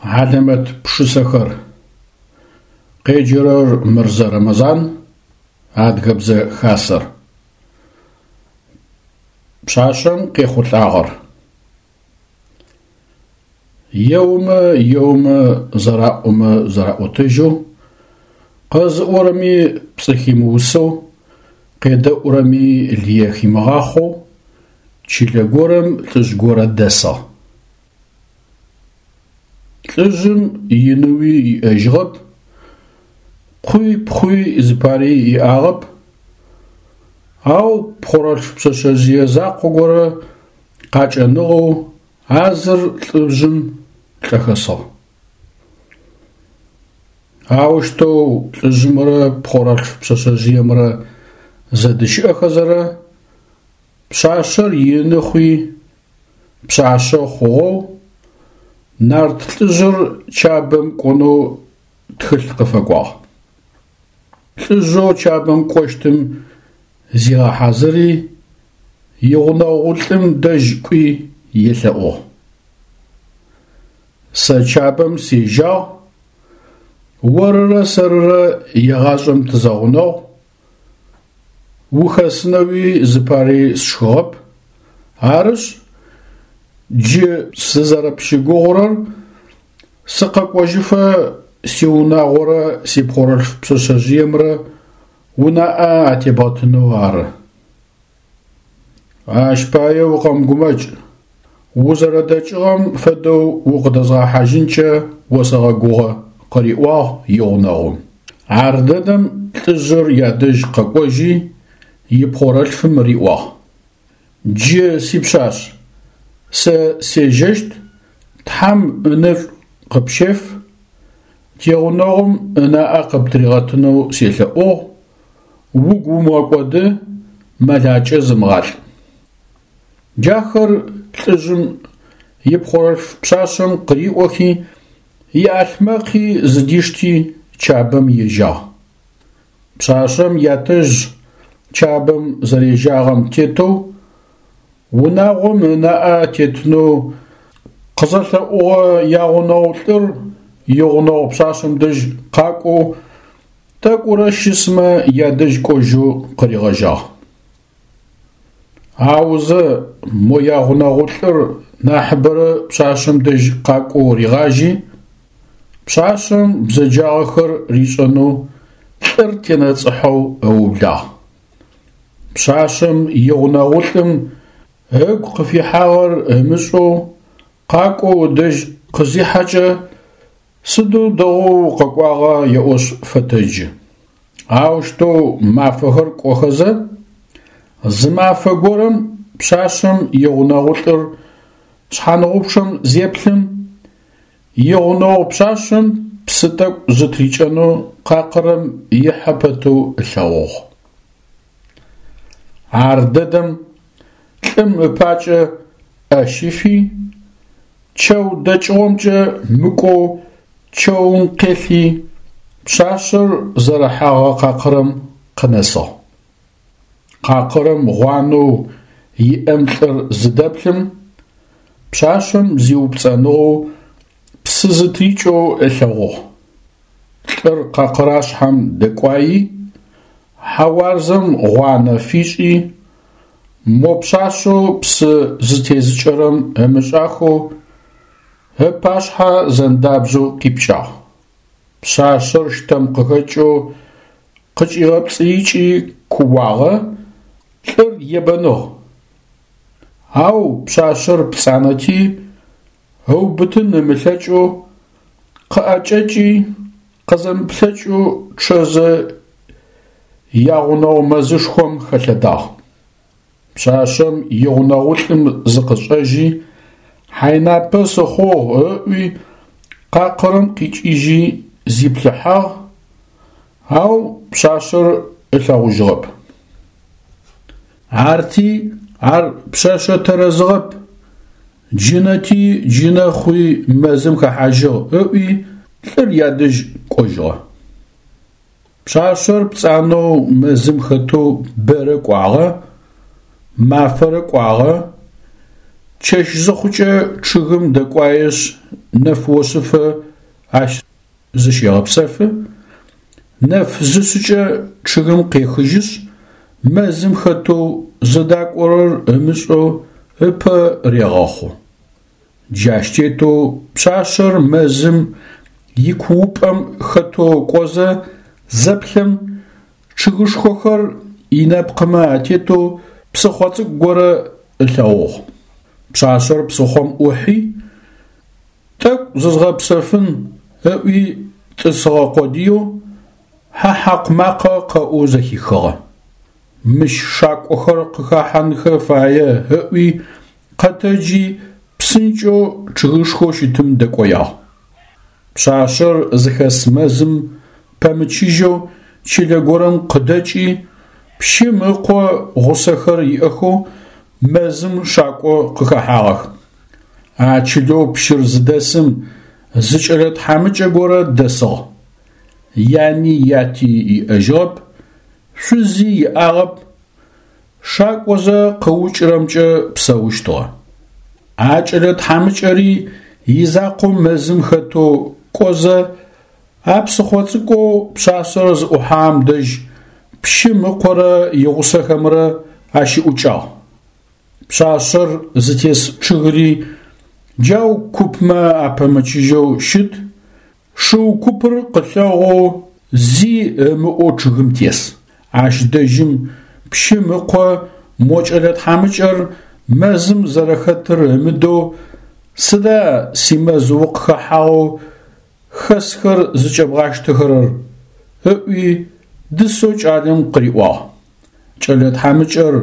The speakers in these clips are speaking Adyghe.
Хьалэмэт пшысэхэр. Къеджэрэр Мырзэ Рэмэзан, Адыгэбзэ Хасэр. Пшъашъэм къехъулӏагъэр. Еомэ, еомэ, зэраӏомэ зэраӏотэжьэу, къэзыӏорэми пцӏы химыусэу, къедэӏурэми лые химыгъахъоу чылэ горэм лӏыжъ горэ дэсыгъ. Лӏыжъым иныуи иӏэжьыгъэп, къуи пхъуи зыпари иӏагъэп, ау пхъорэлъф пшъэшъэжъые закъо горэ къакӏэныгъэу а зыр лӏыжъым лӏэхэсыгъ. Аущтэу лӏыжъымрэ пхъорэлъф пшъэшъэжъыемрэ зэдыщыӏэхэзэрэ пшъашъэр ины хъуи, пшъашъэ хъугъэу, нарт лӏыжъыр Чабэм кӏонэу тхылъ къыфэкӏуагъ. Лӏыжъэу Чабэм кӏощтым зигъэхьазыри, игъунэгъу лӏым дэжь кӏуи елъэӏугъ. Сэ Чабэм сежьагъ, орырэ сэрырэ егъашӏэм тызэгъунэгъу, Ухэсынэуи зыпари сшхыгъэп, арышъ, джы сызэрэпщыгугъурэр сыкъэкӏожьыфэ сиунагъорэ сипхъорэлъф пшъэшъэжъыемрэ унаӏэ атебгъэтынэу ары. Ащ пае укъэмыгумэкӏ, узэрэдэкӏыгъэм фэдэу укъыдэзгъэхьажьынкӏэ осэгъэгугъэ, къыриӏуагъ игъунэгъум. Ардэдэм лӏыжъыр ядэжь къэкӏожьи, ипхъорэлъфым риӏуагъ: Джы, сипшъашъ, сэ сежьэщт, Тхьэм ынэшӏу къыпщеф, тигъунэгъум ынаӏэ къыптыригъэтынэу селъэӏугъ, угу умыгъэкӏоды, мэлакӏэ зымыгъалӏ. Джахэр лӏыжъым ипхъорэлъф пшъашъэм къыриӏохи, иӏалъмэкъи зыдишти Чабэм ежьагъ. Пшъашъэм ятэжъ Чабэм зэрежьагъэм тетэу унагъом ынаӏэ тетынэу къызэлъэӏугъэ ягъунэгъу лӏыр игъунэгъу пшъашъэм дэжь къакӏоу тӏэкӏурэ щысмэ ядэжь кӏожьэу къыригъэжьагъ. Аузэ мо ягъунэгъулӏыр нахьыбэрэ пшъашъэм дэжь къакӏоу ригъажьи, пшъашъэм бзэджагъэхэр ришӏэнэу лӏыр тенэцӏыхьэу ыублагъ. Пшъашъэм игъунэгъулӏым ыгу къыфихьагъэр ымышӏэу къакӏоу ыдэжь къызихьэкӏэ, Сыдэу дэгъоу укъэкӏуагъа еӏошъ фэтэджы. Аущтэу мафэхэр кӏохэзэ, зы мафэ горэм пшъашъэм игъунэгъулӏыр шъхьаныгъупчъэм зеплъым, игъунэгъу пшъашъэм псы тӏэкӏу зытрикӏэнэу къакъырэм ихьэ пэтэу ылъэгъугъ. Ардэдэм лӏым ыпакӏэ ӏэ щифи, чэу дэкӏыгъомкӏэ мыкӏоу чэум къелъи, пшъашъэр зэрыхьэгъэ къакъырэм къынэсыгъ. Къакъырэм гъуанэу иӏэм лӏыр зыдэплъым, пшъашъэм зиупцӏэныгъэу псы зытрикӏэу ылъэгъугъ. Лӏыр къакъырашъхьэм дэкӏуаи, хьэуарзэм гъуанэ фишӏи, мо пшъашъэу псы зытезыкӏэрэм ымышӏахэу ыпашъхьэ зэндабзэу къипкӏагъ. Пшъашъэр щтэм къыхэкӏэу къыкӏигъэпцӏыикӏи кууагъэ, лӏыр ебэныгъ. Ау пшъашъэр пцӏанэти, ыубытын ымылъэкӏэу къыӏэкӏэкӏи, къызэмыплъэкӏэу чъэзэ ягъунэгъу мэзышхом хэлъэдагъ. Пшъашъэм игъунэгъулӏым зыкъышӏэжьи, хьайнапэ сыхъугъ ыӏуи, къакъырэм къикӏыжьи зиплъыхьагъ, ау пшъашъэр ылъэгъужьыгъэп. Арти ар пшъэшъэ тэрэзыгъэп, джынэти джынэ хъуи мэзым хэхьажьыгъ ыӏуи лӏыр ядэжь кӏожьыгъэ. Пшъашъэр пцӏанэу мэзым хэтэу бэрэ кӏуагъэ, мафэрэ кӏуагъэ, чэщ зыхъукӏэ чъыгым дэкӏуаешъ нэф ошъыфэ ащ зыщегъэпсэфы, нэф зышъыкӏэ чъыгым къехыжьышъ, мэзым хэтэу зыдакӏорэр ымышӏэу ыпэ регъэхъу. Джащ тетэу пшъашъэр мэзым икуупӏэм хэтэу кӏозэ зэплъэм, чъыгышхохэр инэпкъымэ атетэу псыхъо цӏыкӏу горэ ылъэгъугъ. Пшъашъэр псыхъом ӏухьи, тӏэкӏу зызгъэпсэфын ыӏуи тӏысыгъэ къодыеу, хьэ хьакъу макъэ къэӏоу зэхихыгъэ. Мыщ шакӏохэр къыхэхьанхэ фае ыӏуи къэтэджи псынкӏэу чъыгышхоу щытым дэкӏоягъ. Пшъашъэр зыхэс мэзым пэмычыжьэу чылэ горэм къыдэкӏи, пщым ыкъо гъусэхэр иӏэхэу мэзым шакӏо къыхэхьагъэх. А чылэу пщыр зыдэсым зы кӏэлэ тхьамыкӏэ горэ дэсыгъ. Яни яти иӏэжьыгъэп, шъузи иӏагъэп, шакӏозэ къыукӏырэмкӏэ псэущтыгъэ. А кӏэлэ тхьамыкӏэри изакъоу мэзым хэтэу кӏозэ, а псыхъо цӏыкӏоу пшъашъэр зыӏухьагъэм дэжь пщым ыкъорэ игъусэхэмрэ ащыӏукӏагъ. Пшъашъэр зытес чъыгыри джау купмэ апэмычыжьэу щыт, Шыу купыр къылъэгъоу зи ымыӏоу чъыгым тес. Ащ дэжьым пщым ыкъо мо кӏэлэ тхьамыкӏэр мэзым зэрэхэтыр ымыдэу, Сыда симэз укъыхэхьагъэу хэсхэр зыкӏэбгъащтэхэрэр? ыӏуи дысэу кӏалэм къыриӏуагъ. Кӏэлэ тхьамыкӏэр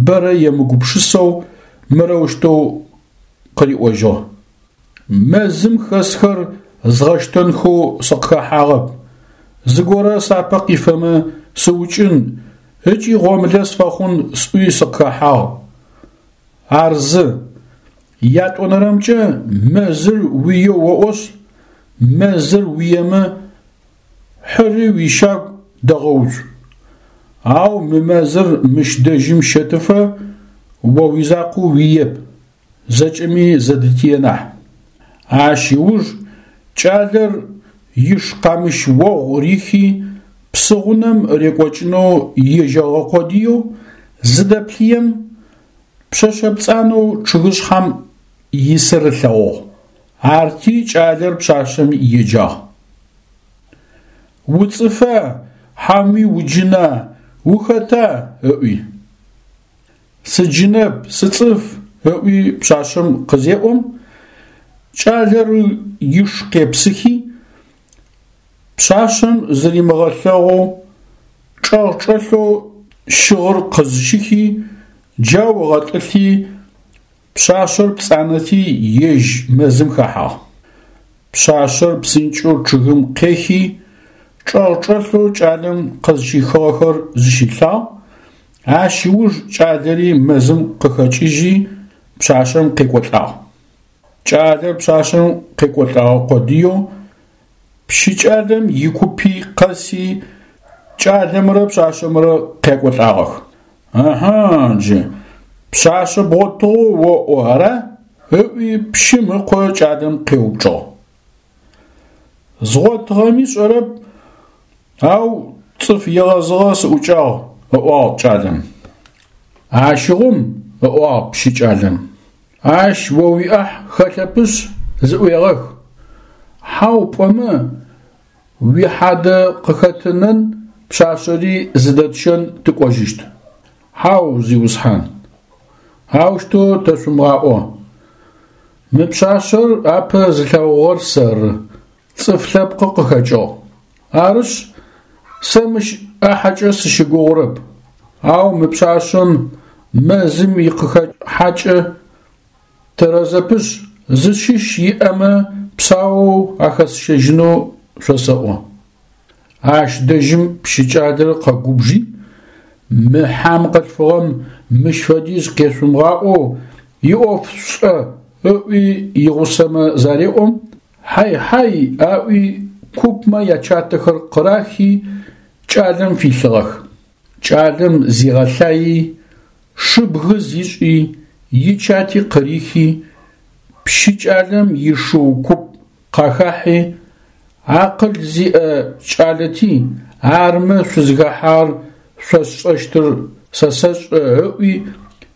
бэрэ емыгупшысэу мырэущтэу къыриӏожьыгъ. Мэзым хэсхэр згъэщтэнхэу сыкъыхэхьагъэп, зыгорэ сапэ къифэмэ сыукӏын ыкӏи гъомылэ сфэхъун сӏуи сыкъыхэхьагъ. Ар зы. Ятӏонэрэмкӏэ мэзыр уиеу оӏошъ, мэзыр уиемэ, хьыри уищагу дэгъэуцу. Ау мы мэзыр мыщ дэжьым щэтыфэ о уизакъоу уиеп. Зэкӏэми зэдытие нахь. Ащ ыуж кӏалэр иш къамыщ огъу рихи, псыгъунэм рекӏокӏынэу ежьэгъэ къодыеу зыдэплъыем, пшъэшъэ пцӏанэу чъыгышъхьэм исыр ылъэгъугъ. Арти кӏалэр пшъашъэм еджагъ. Уцӏыфа, хьауми уджына, ухэта? ыӏуи. Сыджынэп, сыцӏыф, ыӏуи пшъашъэм къызеӏом, кӏалэр иш къепсыхи, пшъашъэм зыримыгъэлъэгъоу, чӏэгъ-чӏэлъэу щыгъыр къызщихи, джау ыгъэтӏылъи, Пшъашъэр пцӏанэти, ежь мэзым хэхьагъ. Пшъашъэр псынкӏэу чъыгым къехи, чӏэгъ-чӏэлъэу кӏалэм къызщихыгъэхэр зыщилъагъ, ащ ыуж кӏалэри мэзым къыхэкӏыжьи, пшъашъэм къекӏолӏагъ. Кӏалэр пшъашъэм къекӏолӏэгъэ къодыеу, пщы кӏалэм икупи къэси, кӏалэмрэ пшъашъэмрэ къякӏолӏагъэх. Ыхьы, джы, пшъашъэ бгъотыгъэу оӏо, ара? ыӏуи пщым ыкъо кӏалэм къеупчӏыгъ. Згъотыгъэми сшӏэрэп, ау цӏыф егъэзыгъэ сыӏукӏагъ, ыӏуагъ кӏалэм. Ащыгъум, ыӏуагъ пщы кӏалэм, ащ о уиӏахь хэлъэпышъ, зыӏуегъэх. Хьау пӏомэ, Уихьадэ къыхэтынэн пшъашъэри зыдэтщэн тыкӏожьыщт. Хьау, зиусхьан, аущтэу тэшъумыгъаӏо. Мы пшъашъэр апэ зылъэгъугъэр сэры, цӏыф лъэпкъы къыхэкӏыгъ. Арышъ, сэ мыщ ӏахьэкӏэ сыщыгугъурэп, ау мы пшъашъэм мэзым икъыхэхьакӏэ Тэрэзэпышъ, зыщыщ иӏэмэ псаоу ахэсщэжьынэу шъосэӏо. Ащ дэжьым пщыкӏалэр къэгубжи, Мы хьам къылъфыгъэм мыщ фэдиз къешъумыгъаӏоу иӏоф шъушӏэ, ыӏуи игъусэмэ зареӏом, хьай-хьай аӏуи купмэ ячатэхэр къырахи кӏалэм филъыгъэх. Кӏалэм зигъэлъаий, шыбгы зишӏи, ичати къырихи, Пщы кӏалэм ишыу куп къахахьи, акъыл зиӏэ кӏалэти, армэ шъузыхэхьагъэр шъосшӏэщтыр сэ сэшӏэ ыӏуи,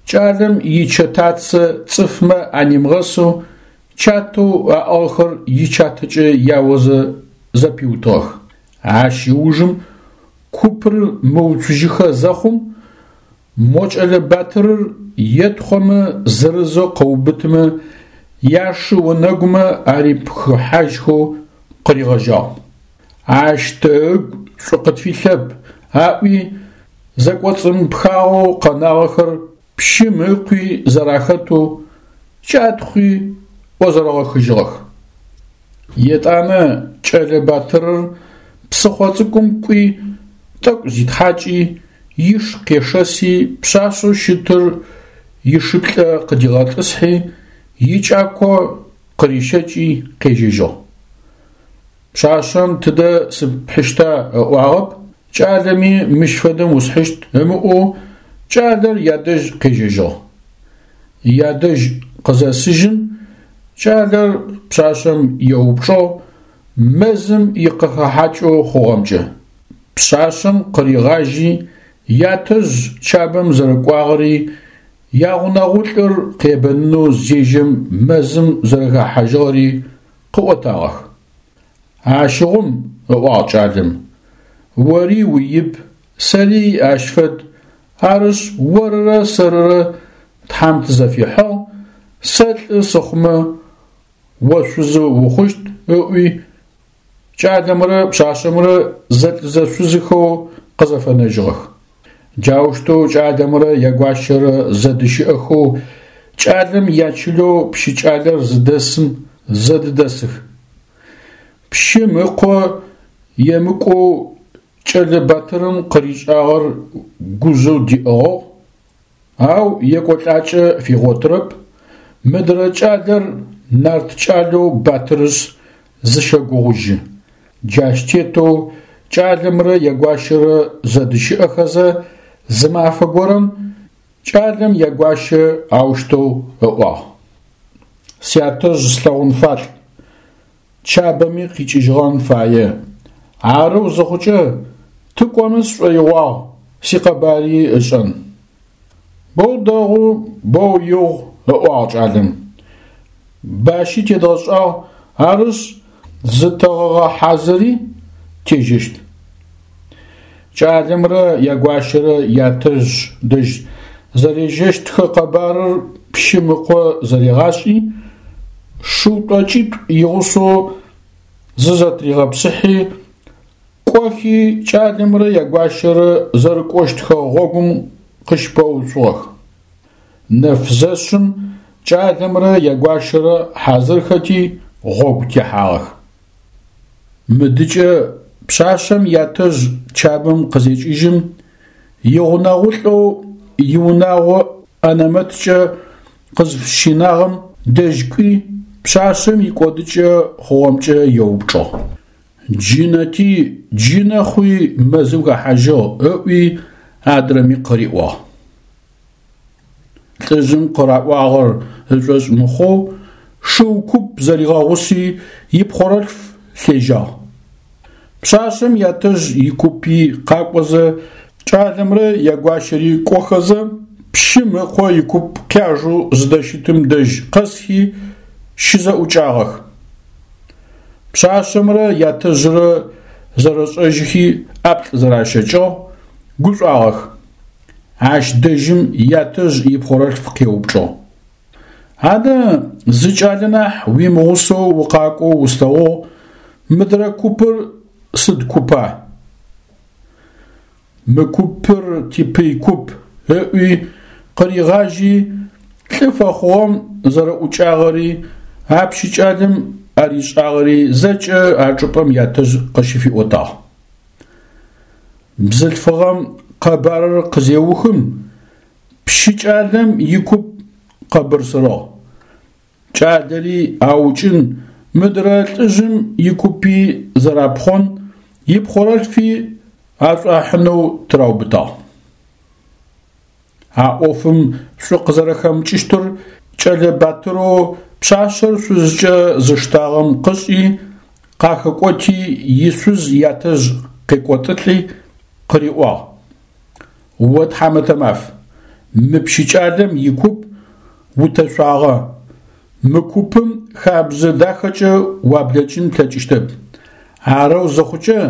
кӏалэм ичэтацэ цӏыфмэ анимыгъэсэу чатэу аӏыгъхэр ичатэкӏэ яозэ зэпиутыгъэх. Ащ ыужым купыр мыуцужьыхэ зэхъум, мо кӏэлэ батырыр етхъомэ зырызэу къыубытымэ яшы онэгумэ арипхыхьажьхэу къыригъэжьагъ. Ащ тэ ыгу шӏу къытфилъэп, аӏуи, зэкӏоцӏымыпхагъэу къэнагъэхэр пщым ыкъуи зэрахэтэу кӏатхъуи ӏозэрэгъэхыжьыгъэх. Етӏанэ кӏэлэ батырыр псыхъо цӏыкӏум кӏуи, тӏэкӏу зитхьакӏи, иш къешэси пшъашъэу щытыр ишыплӏэ къыдигъэтӏысхьи, икӏако къырищэкӏи къежьэжьыгъ. Пшъашъэм тыдэ сыпхьыщта ыӏуагъэп, кӏалэми мыщ фэдэм усхьыщт ымыӏоу кӏалэр ядэжь къежьэжьыгъ. Ядэжь къызэсыжьым, кӏалэр пшъашъэм еупчӏыгъ мэзым икъыхэхьакӏэу хъугъэмкӏэ. Пшъашъэм къыригъажьи, ятэжъ Чабэм зэрэкӏуагъэри, ягъунэгъулӏыр къебэнынэу зежьэм мэзым зэрэхэхьажьыгъэри къыӏотагъэх. Ащыгъум, ыӏуагъ кӏалэм, ори уиб, сэри ащ фэд, арышъ, орырэ сэрырэ Тхьэм тызэфихьыгъ, сэ лӏы сыхъумэ, о шъузы ухъущт, ыӏуи, кӏалэмрэ пшъашъэмрэ зэлӏ-зэшъузыхэу къызэфэнэжьыгъэх. Джаущтэу кӏалэмрэ ягуащэрэ зэдыщыӏэхэу кӏалэм ячылэу пщы кӏалэр зыдэсым зэдыдэсых. Пщым ыкъо емыкӏоу кӏэлэ батырым къыришӏагъэр гужъэу диӏыгъыгъ, ау екӏолӏакӏэ фигъотырэп, мыдрэ кӏалэр нарт кӏалэу батырышъ зыщэгугъужьы. Джащ тетэу кӏалэмрэ ягуащэрэ зэдыщыӏэхэзэ, зы мафэ горэм кӏалэм ягуащэ аущтэу ыӏуагъ: Сятэжъ слъэгъун фалӏ, Чабэми къикӏыжьыгъэн фае. Арэу зыхъукӏэ, тыкӏомэ сшӏоигъуагъ, сикъэбари ышӏэн. Боу дэгъу, боу игъу, ыӏуагъ кӏалэм. Бащи тедгъэшӏагъ, арышъ, зытэгъэгъэхьазыри тежьэщт. Кӏалэмрэ ягуащэрэ ятэжъ дэжь зэрежьэщтхэ къэбарыр пщым ыкъо зэригъашӏи, шыу тӏокӏитӏу игъусэу зызэтригъэпсыхьи, кӏохи кӏалэмрэ ягуащэрэ зэрыкӏощтхэ гъогум къыщыпэуцугъэх. Нэф зэшъым кӏалэмрэ ягуащэрэ хьазырхэти гъогу техьагъэх. Мыдыкӏэ пшъашъэм ятэжъ Чабэм къызекӏыжьым, игъунэгъулӏэу иунагъо ӏэнэмэткӏэ къызфыщинагъэм дэжь кӏуи, пшъашъэм икӏодыкӏэ хъугъэмкӏэ еупчӏыгъ. Джынэти, джынэ хъуи мэзым хэхьажьыгъ, ыӏуи адрэми къыриӏуагъ. Лӏыжъым къыраӏуагъэр ышӏошъ мыхъоу, шыу куп зэригъэгъуси, ипхъорэлъф лъежьагъ. Пшъашъэм ятэжъ икупи къакӏозэ, кӏалэмрэ ягуащэри кӏохэзэ, пщым ыкъо икуп къяжэу зыдэщытым дэжь къэсхи, щызэӏукӏагъэх. Пшъашъэмрэ ятэжърэ зэрэшӏэжьыхи ӏаплӏ зэращэкӏыгъ, гушӏуагъэх. Ащ дэжьым ятэжъ ипхъорэлъф къеупчӏыгъ: Адэ, зы кӏалэ нахь уимыгъусэу укъакӏоу услъэгъугъ, мыдрэ купыр сыд купа? Мы купыр типый куп, ыӏуи, къыригъажьи, лӏы фэхъугъэм зэрэӏукӏагъэри, а пщы кӏалэм аришӏагъэри зэкӏэ а чӏыпӏэм ятэжъ къыщыфиӏотагъ. Бзылъфыгъэм къэбарыр къызеухым, пщы кӏалэм икуп къэбырсырыгъ. Кӏалэри аукӏын, мыдрэ лӏыжъым икупи зэрапхъон, ипхъорэлъфи ашӏуахьынэу тыраубытагъ. А ӏофым шӏу къызэрэхэмыкӏыщтыр кӏэлэ батырэу Пшъашъэр шъузкӏэ зыштагъэм къышӏи, къахэкӏоти, ишъуз ятэжъ къекӏотылӏи къыриӏуагъ: О тхьамэтэ маф, мы пщы кӏалэм икуп утэшъуагъэ, мы купым хабзэ дахэкӏэ уаблэкӏын плъэкӏыщтэп. Арэу зыхъукӏэ,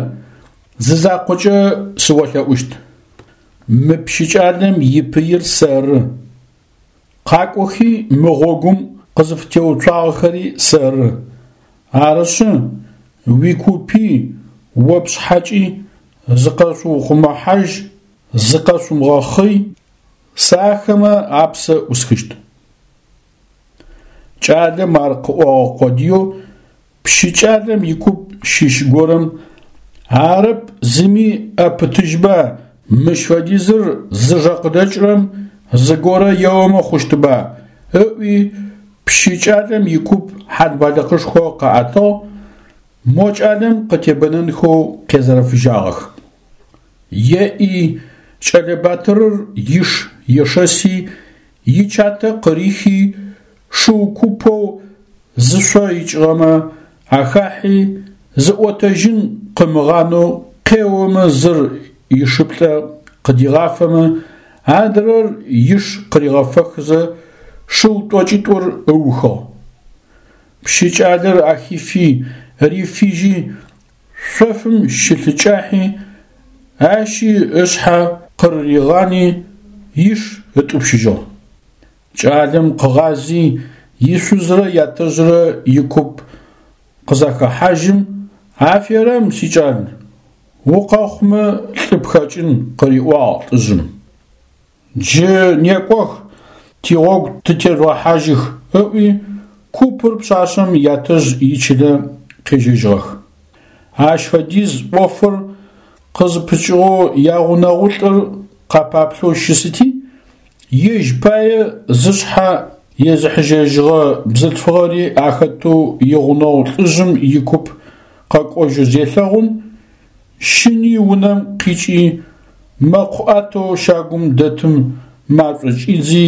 зы закъокӏэ сыолъэӏущт. Мы пщы кӏалэм ипыир сэры. Къакӏохи мы гъогум къызыфытеуцуагъэхэри сэры. Арышъы, уикупи, о пшъхьэкӏи зыкъэшъуухъумэхьажь, зыкъэшъумыгъэхъый, сэ ахэмэ апсэ ӏусхыщт. Кӏалэм ар къыӏогъэ къодыеу пщы кӏалэм икуп щыщ горэм арэп зыми ӏэпытыжьба, мыщ фэдизыр зыжэ къыдэкӏырэм зыгорэ еомэ хъущтыба, ыӏуи пщы кӏалэм икуп хьал-балыкъышхо къаӏэтыгъ, мо кӏалэм къытебэнэнхэу къезэрэфыжьагъэх. Еӏи, кӏэлэ батырыр иш ешэси, ичатэ къырихи, шыу купэу зышъо икӏыгъэмэ ахахьи, зыӏотэжьын къымыгъанэу къеомэ зыр ишыплӏэ къыдигъафэмэ, адрэр иш къыригъэфэхызэ, шыу тӏокӏитӏур ыухыгъ. Пщы кӏалэр ахифи, рифыжьи, шъофым щылъыкӏахьи, ащи ышъхьэ къырыригъани, иш ытӏупщыжьыгъ. Кӏалэм къыгъази, ишъузрэ ятэжърэ икуп къызахэхьажьым, Аферэм, сикӏал, укъэхъумэ лӏы пхэкӏын, къыриӏуагъ лӏыжъым. Джы некӏох, тигъогу тытежъугъэхьажьых, ыӏуи, купыр пшъашъэм ятэжъ ичылэ къежьэжьыгъэх. Ащ фэдиз ӏофыр къызыпыкӏыгъэу ягъунэгъулӏыр къапаплъэу щысыти, ежь пае зышъхьэ езыхьыжьэжьыгъэ бзылъфыгъэри ахэтэу игъунэгъу лӏыжъым икуп къэкӏожьы зелъэгъум, щыни унэм къикӏи, мэкъу ӏатэу щагум дэтым машӏо кӏидзи,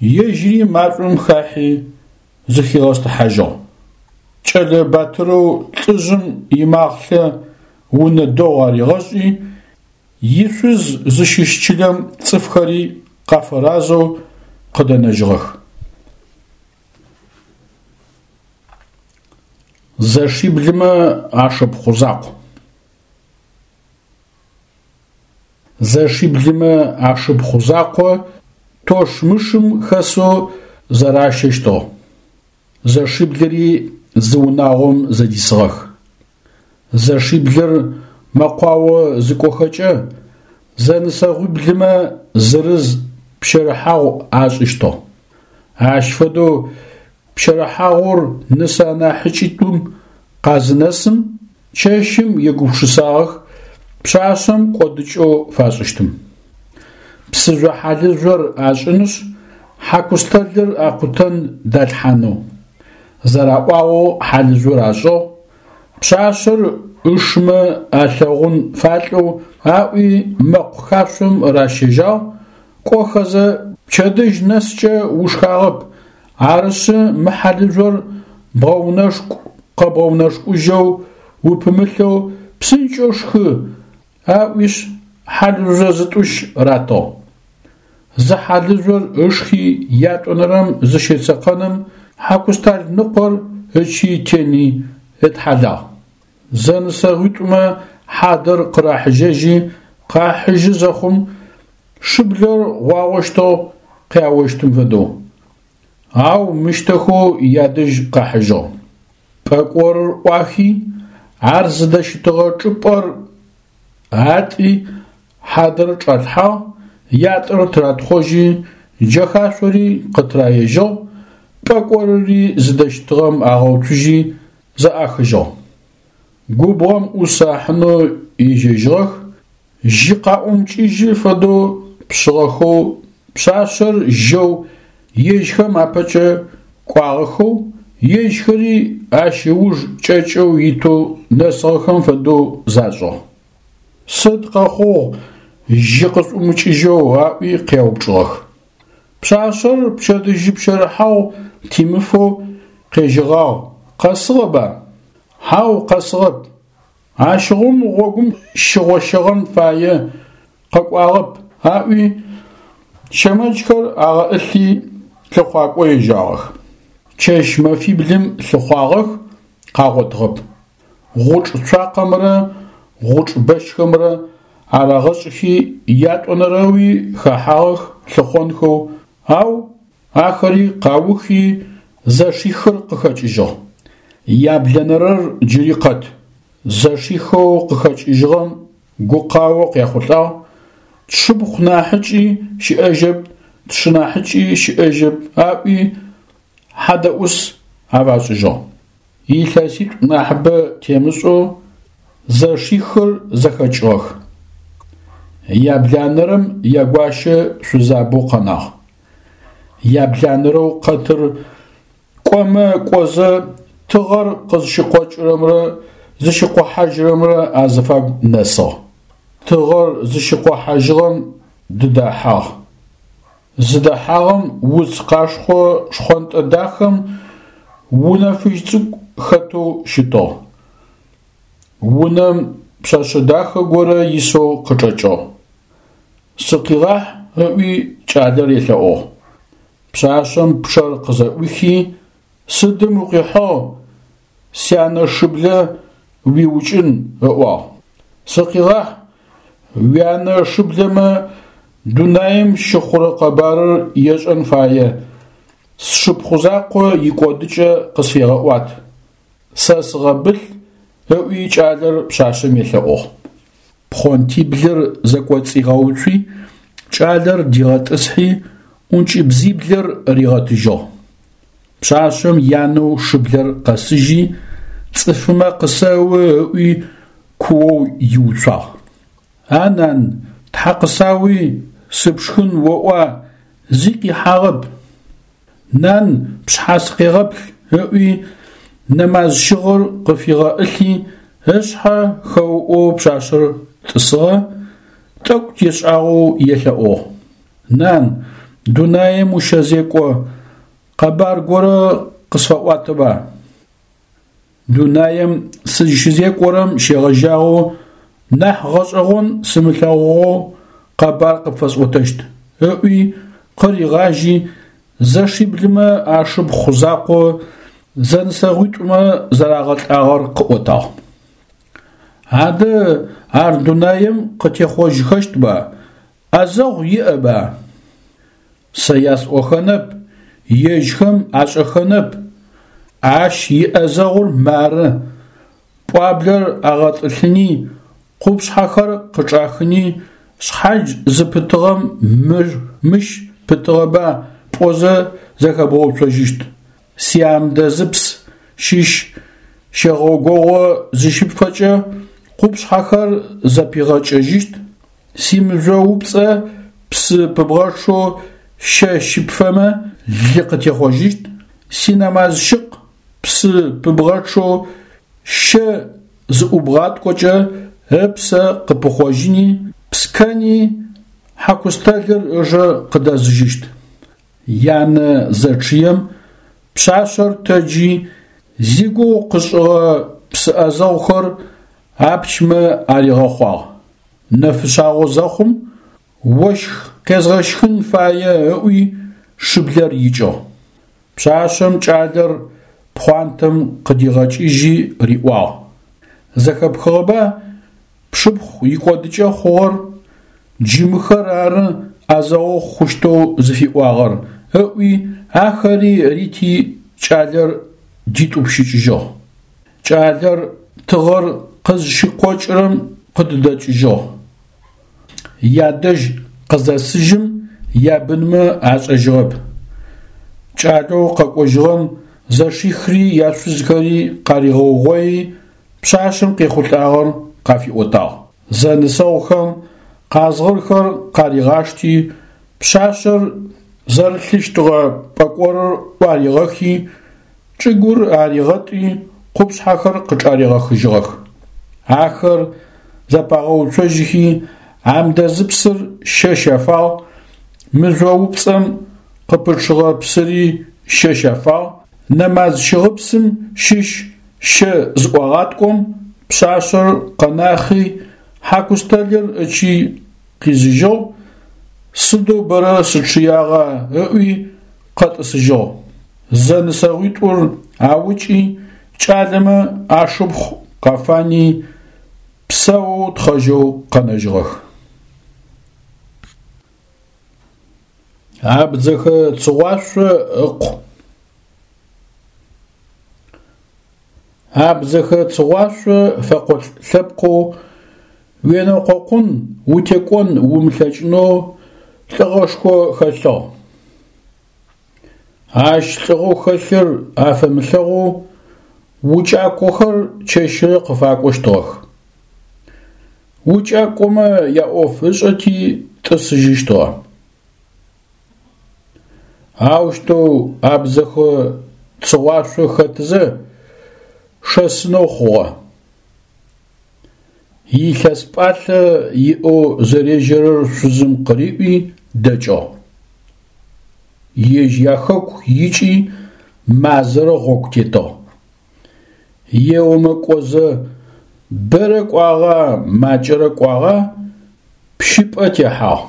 ежьыри машӏом хахьи зыхигъэстыхьажьыгъ. Кӏэлэ батырэу лӏыжъым имахълъэ унэ дэгъу аригъэшӏи, ишъуз зыщыщ чылэм цӏыфхэри къафэразэу къыдэнэжьыгъэх. Зэшиблымэ ашыпхъу закъу. Зэшиблымэ ашыпхъу закъо тощмышым хэсэу зэращэщтыгъ. Зэшиблыри зы унагъом зэдисыгъэх. Зэшиблыр мэкъуао зыкӏохэкӏэ, зэнысэгъуиблымэ зырыз пщэрыхьагъу ашӏыщтыгъ. Ащ фэдэу пщэрыхьагъур нысэ анахьыкӏитӏум къазынэсым, чэщым егупшысагъэх пшъашъэм кӏодыкӏэу фашӏыщтым. Псыжъо хьалыжъор ашӏынышъ, хьакустэлыр акъутэн далъхьанэу. Зэраӏуагъэу хьалыжъор ашӏыгъ, пшъашъэр ышмэ алъэгъун фалӏэу аӏуи мэкъу хашъом ращэжьагъ, кӏохэзэ пчэдыжь нэскӏэ ушхагъэп, арышъы мы хьалыжъор бгъэунэшкӏу къэбгъэунэшкӏужьэу упымылъэу псынкӏэу шхы, аӏуишъ хьалыжъо зытӏущ ратыгъ. Зы хьалыжъор ышхи ятӏонэрэм зыщецэкъэным хьакустал ныкъор ычый тени ытхьалагъ. Зэнысэгъуитӏумэ хьадэр къырахьыжьэжьи къахьыжьы зэхъум, шыблэр гъуагъощтыгъ къяощтым фэдэу. Ау мыщтэхэу ядэжь къахьыжьыгъ. Пӏэкӏорыр ӏуахи, ар зыдэщытыгъэ чӏыпӏэр атӏи, хьадэр чӏалъхьагъ, ятӏэр тыратхъожьи, джэхашъори къытыраежьыгъ, пӏэкӏорыри зыдэщытыгъэм агъэуцужьи, зэӏахыжьыгъ. Губгъом ӏус ахьынэу ежьэжьыгъэх, жьы къаӏумыкӏыжьы фэдэу пшъыгъэхэу пшъашъэр жьэу ежьхэм апэкӏэ кӏуагъэхэу, ежьхэри ащ ыуж кӏэкӏэу итэу нэсыгъэхэм фэдэу зашӏыгъ. Сыд къэхъугъ жьы къышъуӏумыкӏыжьэу аӏуи къяупчӏыгъэх. Пшъашъэр пчэдыжьы пщэрыхьагъу тимыфэу къежьэгъагъ, къэсыгъэба? Хьау, къэсыгъэп. Ащыгъум гъогум щыгъощэгъэн фае, къэкӏуагъэп, аӏуи, щэмэджхэр агъэӏылъи лъыхъуакӏо ежьагъэх. Чэщ-мэфиблым лъыхъуагъэх, къагъотыгъэп. Гъучӏ цуакъэмрэ гъучӏ бэщхэмрэ арагъэшӏыхи ятӏонэрэуи хэхьагъэх лъыхъонхэу, ау ахэри къаухи зэшихыр къыхэкӏыжьыгъ. Яблэнэрэр джыри къэт. Зэшихэу къыхэкӏыжьыгъэм гукъао къяхъулӏагъ, тшыпхъу нахьыкӏи щыӏэжьэп, тшынахьыкӏи щыӏэжьэп аӏуи хьадэӏус афашӏыжьыгъ. Илъэситӏу нахьыбэ темышӏэу зэшихыр зэхэкӏыгъэх. Ябланэрэм ягуащэ шъузабэу къэнагъ. Ябланэрэу къэтыр кӏомэ кӏозэ тыгъэр къызщыкъокӏырэмрэ зыщыкъохьажьырэмрэ азыфагу нэсыгъ. Тыгъэр зыщыкъохьажьыгъэм дыдэхьагъ. Зыдэхьагъэм уц къашхъо шхъонтӏэ дахэм унэ фыжь цӏыкӏу хэтэу щытыгъ. Унэм пшъэшъэ дахэ горэ исэу къычӏэкӏыгъ. Сыкъигъахь ыӏуи кӏалэр елъэӏугъ. Пшъашъэм пчъэр къызэӏуихи, сыдым укъихьыгъ, сянэ шыблэ уиукӏын ыӏуагъ. Сыкъигъахь, уянэ шыблэмэ дунаим щыхъурэ къэбарыр ешӏэн фае, сшыпхъу закъо икӏодыкӏэ къысфегъэӏуат, сэ сыгъэбылъ, ыӏуи кӏалэр пшъашъэм елъэӏугъ. Пхъонтиблыр зэкӏоцӏигъэуцуи, кӏалэр дигъэтӏысхьи, ӏункӏыбзиблыр ригъэтыжьыгъ. Пшъашъэм янэу шыблэр къэсыжьи, цӏыфымэ къысэу ыӏуи куоу иуцуагъ. А нан, тхьэ къысауи, сыпшхын оӏуа, зи къихьагъэп. Нан, пшъхьэ сыкъегъэплъ, ыӏуи, нэмазщыгъыр къыфигъэӏылъи, ышъхьэ хэуӏоу пшъашъэр тӏысыгъэ, тӏэкӏу тешӏагъэу елъэӏугъ. Нан, дунаим ущэзекӏо, къэбар горэ къысфэӏуатэба? Дунаим сызщызекӏорэм щегъэжьагъэу нахь гъэшӏэгъон сымылъэгъугъэу къэбар къыпфэсӏотэщт, ыӏуи къыригъажьи, зэшиблымэ ашыпхъу закъо зэнысэгъуитӏумэ зэрагъэлӏагъэр къыӏотагъ. Адэ ар дунаим къытехъожьхэщтба, ӏэзэгъу иӏэба? Сэ ясӏохэнэп, ежьхэм ашӏэхэнэп. Ащ иӏэзэгъур мары: пӏуаблэр агъэтӏылъыни, къупшъхьэхэр къычӏахыни, шъхьадж зыпытыгъэм мыр мыщ пытыгъэба пӏозэ зэхэбгъэуцожьыщт. Сиамдэзыпс щыщ щэгъогогъо зыщыпфэкӏэ къупшъхьэхэр зэпигъэкӏэжьыщт, симыжъоупцӏэ псы пыбгъэчъэу щэ щыпфэмэ лы къытехъожьыщт, синэмазщыкъ псы пыбгъэчъэу щэ зыӏубгъаткӏокӏэ ыпсэ къыпыхъожьыни, пскэни хьакустэлыр ыжэ къыдэзыжьыщт. Янэ зэчъыем пшъашъэр тэджи, зигугъу къышӏыгъэ псы ӏэзэгъухэр апчмэ аригъэхъуагъ. Нэфышъагъо зэхъум, ощх къезгъэщхын фае ыӏуи шыблэр икӏыгъ. Пшъашъэм кӏалэр пхъуантэм къыдигъэкӏыжьи риӏуагъ: Зэхэпхыгъэба пшыпхъу икӏодыкӏэ хъугъэр? Джы мыхэр ары ӏэзэгъу хъущтэу зыфиӏуагъэр, ыӏуи ахэри рити кӏалэр дитӏупщыкӏыжьыгъ. Кӏалэр тыгъэр къызщыкъокӏырэм къыддэкӏыжьыгъ. Ядэжь къызэсыжьым ябынмэ ашӏэжьыгъэп. Кӏалэу къэкӏожьыгъэм зэшихри яшъузхэри къаригъэугъои, пшъашъэм къехъулӏагъэр къафиӏотагъ. Зэнысэгъухэм къазгъырхэр къаригъашти, пшъашъэр зэрылъыщтыгъэ пӏэкӏорыр ӏуаригъэхи, чӏыгур аригъэтӏи, къупшъхьэхэр къычӏаригъэхыжьыгъэх. Ахэр зэпагъэуцожьыхи, амдэзыпсыр щэ щафагъ, мыжъоупцӏэм къыпычъыгъэ псыри щэ щафагъ, нэмазщыгъыпсым щыщ щэ зыӏуагъаткӏом, пшъашъэр къэнахи, хьакустэлыр ычый къизыжьыгъ, сыдэу бэрэ сычъыягъа ыӏуи къэтӏысыжьыгъ. Зэнысэгъуитӏур аукӏи, кӏалэмэ ашыпхъу къафани, псэоу тхъэжьэу къэнэжьыгъэх. Абдзэхэ Цыгъуашъо ыкъу. Абдзэхэ Цыгъуашъо фэкъолӏ лъэпкъэу уенэкъокъун, утекӏон умылъэкӏынэу лӏыгъэшхо хэлъыгъ. Ащ лӏыгъэу хэлъыр афэмылъэгъоу укӏакӏохэр чэщырэ къыфакӏощтыгъэх. Укӏакӏомэ яӏоф ышӏэти тӏысыжьыщтыгъэ. Аущтэу Абдзэхэ Цыгъуашъо хэтызэ шэсынэу хъугъэ. Илъэс пӏалъэ иӏэу зэрежьэрэр шъузым къыриӏуи дэкӏыгъ. Ежь яхэку икӏи мазэрэ гъогу тетыгъ. Еомэ кӏозэ, бэрэ кӏуагъа, макӏэрэ кӏуагъа, пщыпӏэ техьагъ.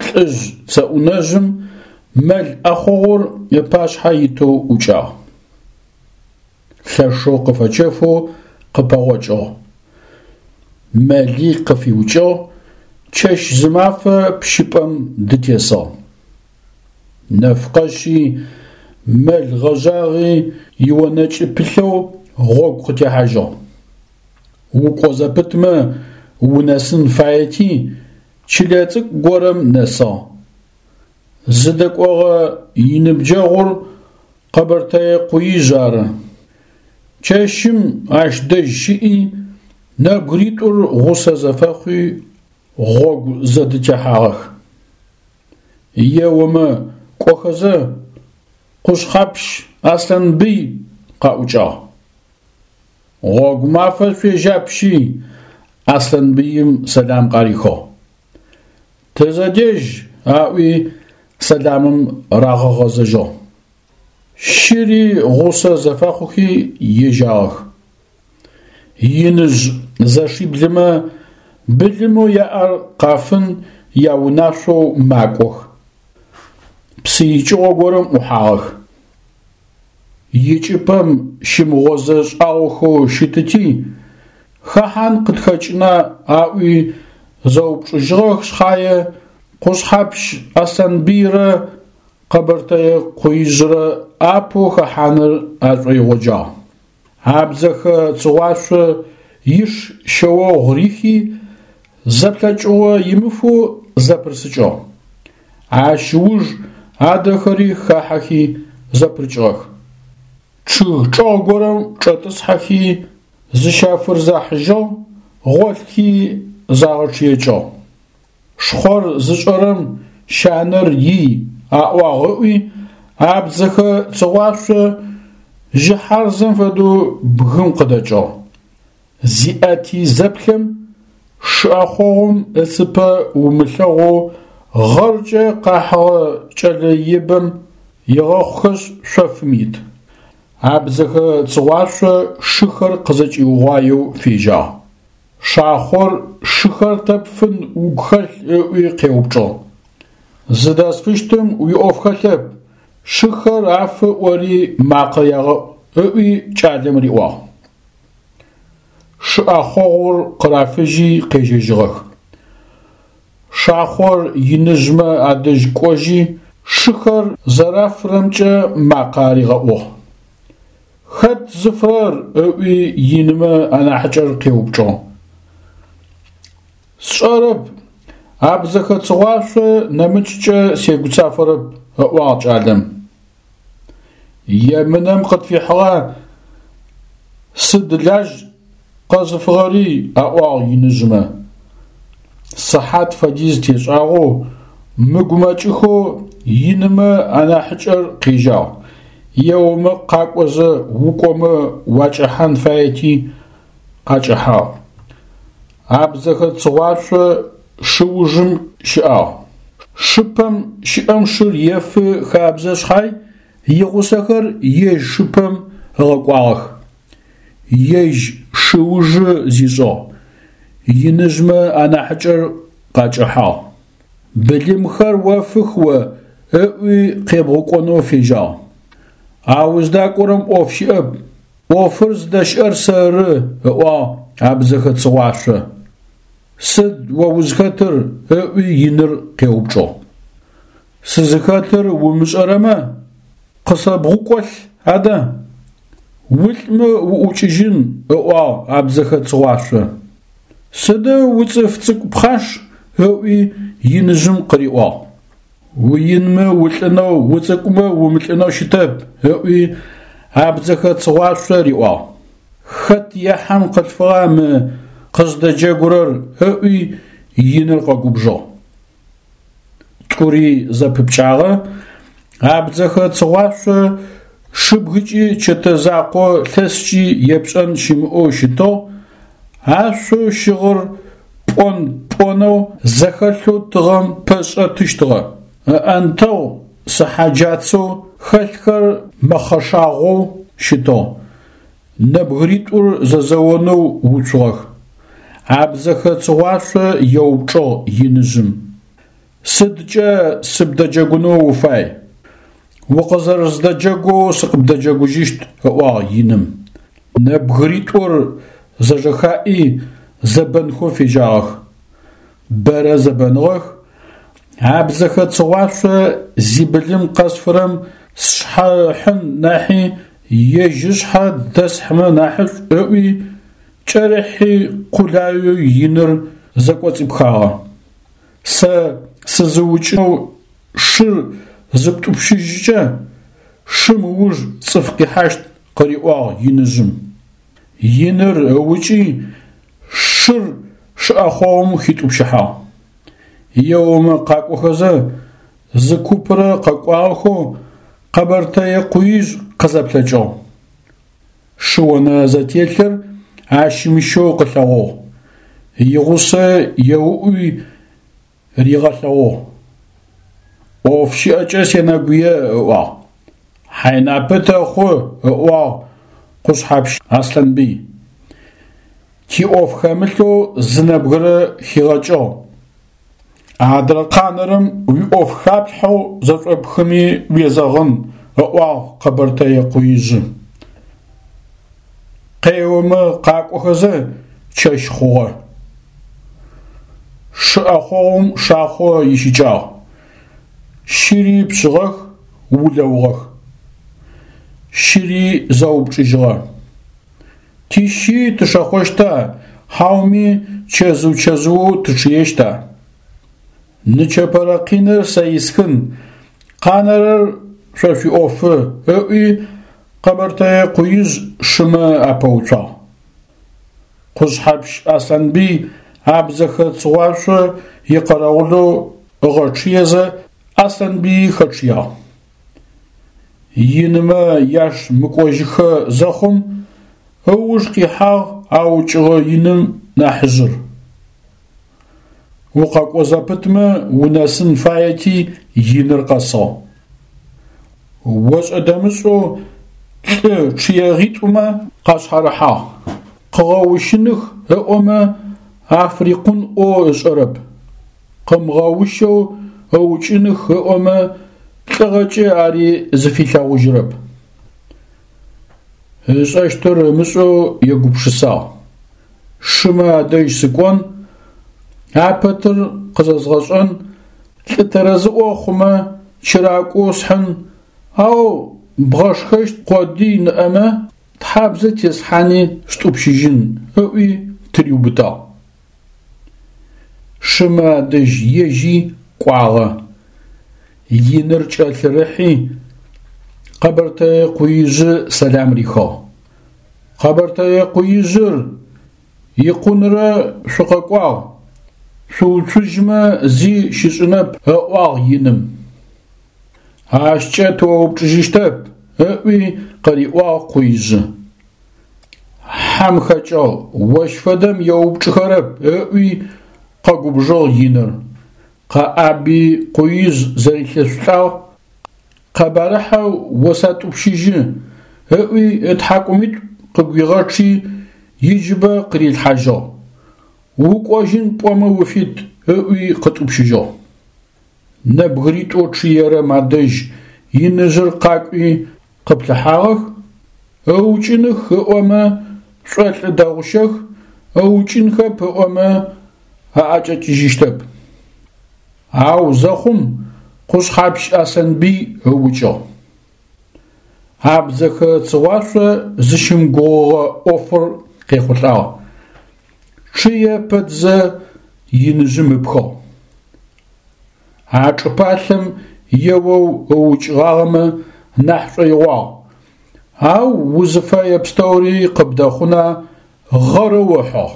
Лӏыжъ цэӏунэжъым мэл ӏэхъогъур ыпашъхьэ итэу ӏукӏагъ. Лъэшэу къыфэчэфэу къыпэгъокӏыгъ. Мэли къыфиукӏыгъ, чэщ-зымафэ пщыпӏэм дытесыгъ. Нэф къэшъи, мэл гъэжъагъи ионэкӏы пылъэу гъогу къытехьажьыгъ. Укӏо зэпытмэ унэсын фаети, чылэ цӏыкӏу горэм нэсыгъ. Зыдэкӏогъэ иныбджэгъур Къэбэртэе Къуижъ ары. Чэщым ащ дэжь щыӏи, нэбгыритӏур гъусэ зэфэхъуи гъогу зэдытехьагъэх. Еомэ кӏохэзэ, Къушъхьэпщ Аслъанбый къаӏукӏагъ. Гъогу мафэ шъуежьапщи, Аслъанбыим сэлам къарихыгъ. Тызэдежь, аӏуи, сэламым рагъэгъэзэжьыгъ. Щыри гъусэ зэфэхъухи ежьагъэх. Иныжъ зэшиблымэ былымэу яӏэр къафын яунашъоу макӏох. Псы икӏыгъо горэм ӏухьагъэх. Икӏыпӏэм щымыгъозэ шӏагъохэу щытыти, хэхьан къытхэкӏына аӏуи зэупчӏыжьыгъэх шъхьае, Къушъхьэпщ Аслъанбыйрэ Къэбэртэе Къуижърэ апэу хэхьаныр ашӏоигъоджагъ. Абдзэхэ Цыгъуашъо иш шъэогъу рихи, зэплъэкӏыгъо имыфэу зэпырысыкӏыгъ. Ащ ыуж адрэхэри хахьэхи зэпырыкӏыгъэх. Чъыг чӏэгъ горэм чӏэтӏысхьэхи зыщафырзахьыжьыгъ, гъолъхи загъэчъыекӏыгъ. Шхъор зышӏэрэм щанэр ий аӏуагъ ыӏуи, абдзэхэ Цыгъуашъо жьыхьарзэм фэдэу бгым къыдэкӏыгъ. Зиӏэти зэплъэм, шы ӏэхъогъум ыцыпэ умылъэгъоу гъэркӏэ къахьыгъэ кӏэлэ ибэм егъэхъухэшъ шъофым ит. Абдзэхэ Цыгъуашъо шыхэр къызэкӏиугъуаеу фежьагъ. Шахъор шыхэр тэ пфын угу хэлъ ыӏуи къеупчӏыгъ. Зыдэсфыщтым уиӏоф хэлъэп, шыхэр афы ӏори макъэ ягъэӏу ыӏуи кӏалэм риӏуагъ. Шы ӏэхъогъур къырафыжьи къежьэжьыгъэх. Шахъор иныжъмэ адэжь кӏожьи, шыхэр зэрафырэмкӏэ макъэ аригъэӏугъ. Хэт зыфырэр? ыӏуи инымэ анахьыкӏэр къеупчӏыгъ. Сшӏэрэп, абдзэхэ Цыгъуашъо нэмыкӏкӏэ сегуцафэрэп, ыӏуагъ кӏалэм. Емынэм къытфихьыгъа, сыд лажь къэзыфыгъэри, аӏуагъ иныжъмэ. Сыхьат фэдиз тешӏагъэу, мыгумэкӏыхэу инымэ анахьыкӏэр къежьагъ, еомэ къакӏозэ укӏомэ уакӏэхьан фаети, къакӏэхьагъ. Абдзэхэ Цыгъуашъо шыужым щыӏагъ. Шыпэм щыӏэм шыр ефы хабзэ шъхьай. Игъусэхэр ежь шыпэм ыгъэкӏуагъэх. Ежь шыужы зишӏыгъ. Иныжъмэ анахьыкӏэр къакӏэхьагъ. Былымхэр офых о, ыӏуи къебгъукӏонэу фежьагъ. А уздакӏорэм ӏоф щыӏэп, ӏофыр зыдэщыӏэр сэры, ыӏуагъ абдзэхэ Цыгъуашъо. Сыд о узхэтыр? ыӏуи иныр къеупчӏыгъ. Сызыхэтыр умышӏэрэмэ, къысэбгъукӏолъ адэ. Улӏмэ уӏукӏыжьын, ыӏуагъ абдзэхэ Цыгъуашъо. Сыдэу уцӏыф цӏыкӏу пхъаш, ыӏуи иныжъым къыриӏуагъ. Уинмэ улӏынэу, уцӏыкӏумэ умылӏынэу щытэп, ыӏуи абдзэхэ Цыгъуашъо риӏуагъ. Хэт ехьам къылъфыгъа мы къыздэджэгурэр, ыӏуи иныр къэгубжыгъ. Тӏури зэпыпкӏагъэ, абдзэхэ Цыгъуашъо шыбгыкӏи чэтэ закъо лъэскӏи епшӏэн щымыӏэу щытыгъ, ашъоу щыгъыр пӏон-пӏонэу зэхэлъэу тыгъэм пэшӏэтыщтыгъэ, ыӏэнтэгъу сыхьаджацэу хэлъхэр мэхъэшагъоу щытыгъ. Нэбгыритӏур зэзэонэу уцугъэх. Абдзэхэ Цыгъуашъо еупчӏыгъ иныжъым: Сыдкӏэ сыбдэджэгунэу уфай? Укъызэрэздэджэгоу сыкъыбдэджэгужьыщт, ыӏуагъ иным. Нэбгыритӏур зэжэхаӏи зэбэнхэу фежьагъэх. Бэрэ зэбэныгъэх. Абдзэхэ Цыгъуашъо зибылым къэсфырэм сшъхьэ ыхьын нахьи ежь ышъхьэ дэсхьымэ нахьышӏу ыӏуи, кӏэрыхьи къулаеу иныр зэкӏоцӏипхагъэ. Сэ сызыукӏэу шыр зыптӏупщыжькӏэ, шым ыуж цӏыф къихьащт, къыриӏуагъ иныжъым. Иныр ыукӏи, шыр шыӏэхъогъум хитӏупщыхьагъ. Еомэ къакӏохэзэ, зы купрэ къэкӏуагъэхэу Къэбэртэе Къуижъ къызэплъэкӏыгъ. Шыонэ зэтелъыр ащымыщэу къылъэгъугъ. Игъусэ еуӏуи ригъэлъэгъугъ. ӏоф щыӏэкӏэ сенэгуе, ыӏуагъ. Хьайнапэ тэхъу, ыӏуагъ Къушъхьэпщ Аслъанбый. Тиӏоф хэмылъэу зы нэбгырэ хигъэкӏыгъ. Адрэ къанэрэм уиӏоф хаплъхьэу зэшӏопхыми уезэгъын, ыӏуагъ Къэбэртэе Къуижъы. Къеомэ къакӏохэзэ чэщ хъугъэ. Шы ӏэхъогъум шахъо ищыкӏагъ. Щыри пшъыгъэх, улэугъэх. Щыри зэупчӏыжьыгъэ. Тищи тышэхъощта, хьауми чэзыу-чэзыоу тычъыещта? Нычэпэрэ къиныр сэ исхын, къанэрэр шъо шъуиӏофы, ыӏуи Къэбэртэе Къуижъ шымэ апэуцуагъ. Къушъхьэпщ Аслъанбый абдзэхэ Цыгъуашъо икъэрэгъулэу ыгъэчъыезэ, Аслъанбыйи хэчъыягъ. Инымэ яш мыкӏожьыхэ зэхъум, ыуж къихьагъ аукӏыгъэ иным нахьыжъыр. Укъэкӏо зэпытмэ унэсын фаети, иныр къэсыгъ. Ошӏэ-дэмышӏэу лӏы чъыегъитӏумэ къашъхьарыхьагъ. Къыгъэущыных ыӏомэ, африкъун ӏоу ышӏэрэп. Къымыгъэущэу ыукӏыных ыӏомэ, лӏыгъэкӏэ ари зыфилъэгъужьырэп. Ышӏэщтыр ымышӏэу егупшысагъ. Шымэ адэжь сыкӏон, апэтыр къызэзгъэшӏэн, лӏы тэрэзыӏо хъумэ, чыракӏоу схьын, ау бгъэшхэщт къодый ныӏэмэ, тхьабзэ теслъхьани стӏупщыжьын, ыӏуи тыриубытагъ. Шымэ адэжь ежьи кӏуагъэ. Иныр кӏэлъырыхьи, Къэбэртэе Къуижъы сэлам рихыгъ. Къэбэртэе Къуижъыр, икъунрэ шъукъэкӏуагъ, шъууцужьмэ зи щышӏынэп, ыӏуагъ иным. Ащкӏэ тыоупчӏыжьыщтэп, ыӏуи къыриӏуагъ Къуижъы. Хьэм хэкӏыгъ, ощ фэдэм еупчӏыхэрэп, ыӏуи къэгубжыгъ иныр. Къэӏаби Къуижъ зэрилъэшъулӏагъ. Къэбарыхьэ осэтӏупщыжьы, ыӏуи ытхьакӏумитӏу къыгуигъэчъи, иджыбэ къырилъхьажьыгъ. Укӏожьын пӏомэ уфит, ыӏуи къытӏупщыжьыгъ. Нэбгыритӏоу чъыерэм адэжь иныжъыр къакӏуи къыплъыхьагъэх, ыукӏыных ыӏомэ шӏолӏы дэгъущэх, ыукӏынхэп ыӏомэ аӏэкӏэкӏыжьыщтэп. Ау зэхъум Къушъхьэпщ Аслъанбый ыукӏыгъ. Абдзэхэ Цыгъуашъо зыщымыгугъыгъэ ӏофыр къехъулӏагъ. Чъые пэтзэ иныжъым ыпхыгъ. А чӏыпалъэм еоу ыукӏыгъагъэмэ нахь шӏоигъуагъ, ау узыфэе пстэури къыбдэхъуна гъэрэу ыхьыгъ.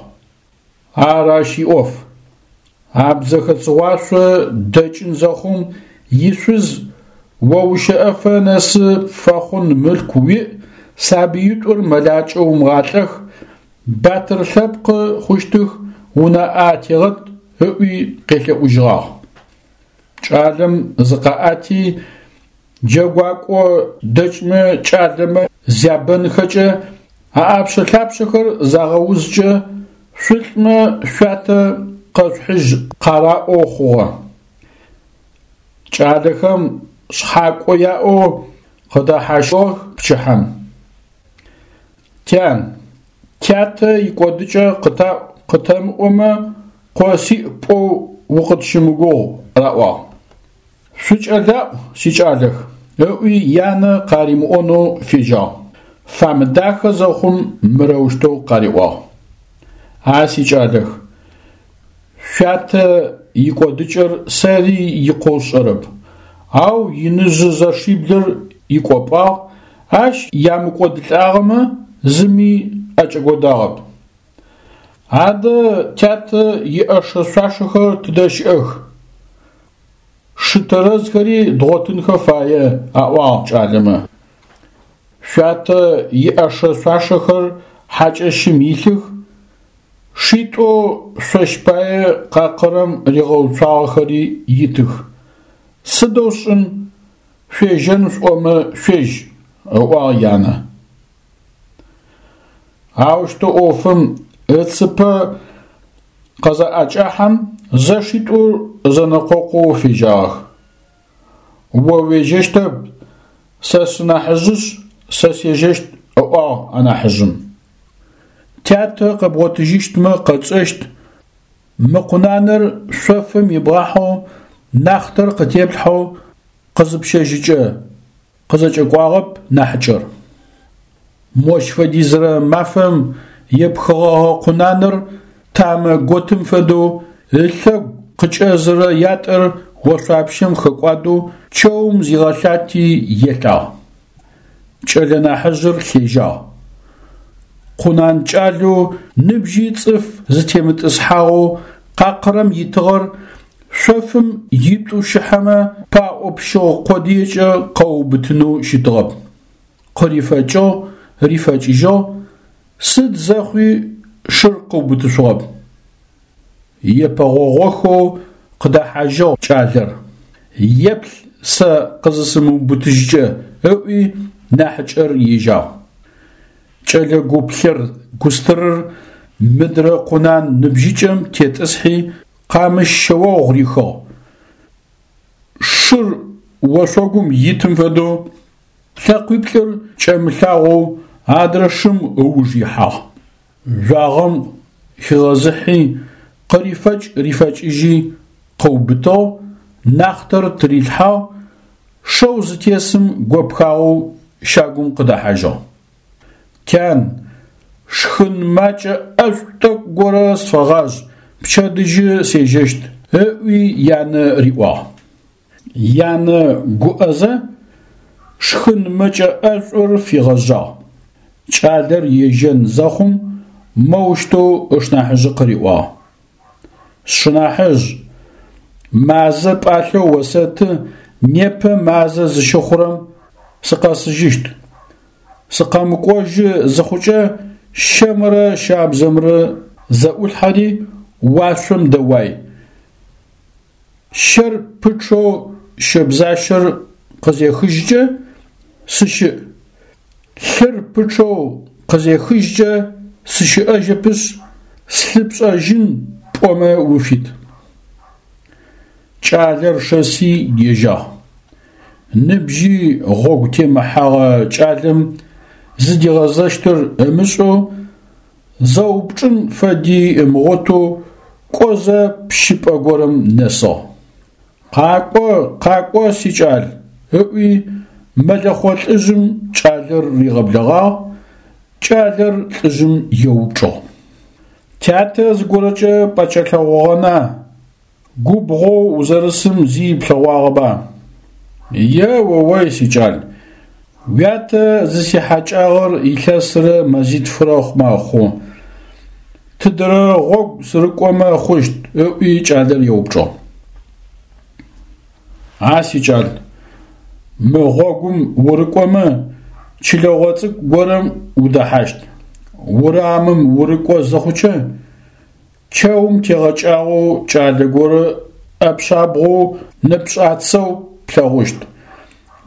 Ар ащ иӏоф. Абдзэхэ Цыгъуашъо дэкӏын зэхъум ишъуз о ущэӏэфэ нэсы пфэхъун мылъку уиӏ, сабыитӏур мэлакӏэ умыгъалӏэх, батыр лъэпкъы хъущтых, унаӏэ атегъэт ыӏуи къелъэӏужьыгъагъ. Кӏалэм зыкъаӏэти, джэгуакӏо дэкӏмэ кӏалэмэ зябэнхэкӏэ, аӏапшъэ-лъапшъэхэр загъэузкӏэ, шъулӏмэ шъуятэ къэшъухьыжь къараӏоу хъугъэ. Кӏалэхэм шъхьакӏо яӏэу къыдэхьащыгъэх пчыхьэм. Тян, тятэ икӏодыкӏэ къытаӏу къытэмыӏомэ, къо сиӏ пӏоу укъытщымыгугъ, раӏуагъ. Шъукӏэлаӏу, сикӏалэх, ыӏуи янэ къаримыӏонэу фежьагъ. Фамыдахэ зэхъум мырэущтэу къариӏуагъ. А сикӏалэх, шъуятэ икӏодыкӏэр сэри икъоу сшӏэрэп, ау иныжъы зэшиблыр икӏопӏагъ, ащ ямыкӏодылӏагъэмэ зыми ӏэкӏэкӏодагъэп. Адэ тятэ иӏэшэ-шъуашэхэр тыдэ щыӏэх? Шы тэрэзхэри дгъотынхэ фае, аӏуагъ кӏалэмэ. Шъуятэ иӏэшэ-шъуашэхэр хьакӏэщым илъых, шитӏоу шъощ пае къакъырэм ригъэуцуагъэхэри итых. Сыдэу сшӏын, шъуежьэн шъуӏомэ шъуежь, ыӏуагъ янэ. Аущтэу ӏофым ыцыпэ къызэӏэкӏахьэм зэшитӏур зэнэкъокъоу фежьагъэх. О уежьэщтэп, сэ сынахьыжъышъ, сэ сежьэщт, ыӏуагъ анахьыжъым. Тятэ къэбгъотыжьыщтмэ къэтшӏэщт, мы къунаныр шъофым ибгъахьэу, нахътэр къытеплъхьэу къызыпщэжьыкӏэ, къызэкӏэкӏуагъэп нахьыкӏэр. Мощ фэдизрэ мафэм епхыгъэгъэ къунаныр тамэ готым фэдэу ылъэгу къыкӏэзырэ ятӏэр ошъуапщэм хэкӏуадэу чэум зигъэлъати елъагъ. Кӏэлэ нахьыжъыр лъежьагъ. Къунан кӏалэу ныбжьи цӏыф зытемытӏысхьагъэу къакъырэм итыгъэр Шъофым итӏущыхьэмэ паӏо пщыгъ къодыекӏэ къэуубытынэу щытыгъэп. Къырифэкӏыгъ, рифэкӏыжьыгъ, сыд зэхъуи шыр къыубытышъугъэп. Епэгъогъохэу къыдэхьажьыгъ кӏалэр. Еплъ сэ къызысымыубытыжькӏэ, ыӏуи нахьыкӏэр ежьагъ. Кӏэлэ гуплъыр густырыр мыдрэ къунан ныбжьыкӏэм тетӏысхьи Къамыщ шъэогъу рихыгъ. Шыр ошъогум итым фэдэу лъэкъуиплӏыр кӏэмылъагъоу адрэ шым ыуж ихьагъ. Жъуагъэм хигъэзыхьи, къырифэкӏ-рифэкӏыжьи къыубытыгъ, нахътэр тырилъхьагъ, шэу зытесым гопхагъэу щагум къыдэхьажьыгъ. Тян, шхын макӏэ ӏэшӏу тӏэкӏу горэ сфэгъажъ, пчэдыжьы сежьэщт, ыӏуи янэ риӏуагъ. Янэ гуӏэзэ, шхын мэкӏэ ӏэшӏур фигъэжъагъ. Кӏалэр ежьэн зэхъум, моущтэу ышнахьыжъы къыриӏуагъ. Сшынахьыжъ, мазэ пӏалъэу осэты, непэ мазэ зыщыхъурэм сыкъэсыжьыщт. Сыкъэмыкӏожьы зыхъукӏэ, щэмрэ щабзэмрэ зэӏулъхьэри уашъом дэуай. Щэр пычъэу щэбзащэр къызехыжькӏэ сыщыӏ, лъыр пычъэу къызехыжькӏэ сыщыӏэжьэпышъ, слъы пшӏэжьын пӏомэ уфит. Кӏалэр шэси ежьагъ. Ныбжьи гъогу темыхьэгъэ кӏалэм зыдигъэзэщтыр ымышӏэу, зэупчӏын фэди ымыгъотэу кӏозэ пщыпӏэ горэм нэсыгъ. Къакӏо, къакӏо, сикӏал, ыӏуи мэлэхъо лӏыжъым кӏалэр ригъэблэгъагъ, кӏалэр лӏыжъым еупчӏыгъ. Тятэ зыгорэкӏэ пӏэкӏэлъэгъогъэна? Губгъоу узэрысым зи иплъэгъуагъэба? Е-о-ой, сикӏал, уятэ зысихьакӏагъэр илъэсрэ мэзитфырэ мэхъу. Тыдэрэ гъогу сырыкӏомэ хъущт? ыӏуи кӏалэр еупчӏыгъ. А сикӏал, мы гъогум урыкӏомэ, чылэгъо цӏыкӏу горэм удэхьащт. Урамым урыкӏо зыхъукӏэ, чэум тегъэкӏагъэу кӏалэ горэ ӏэпшъабгъоу нэпшӏацэу плъэгъущт.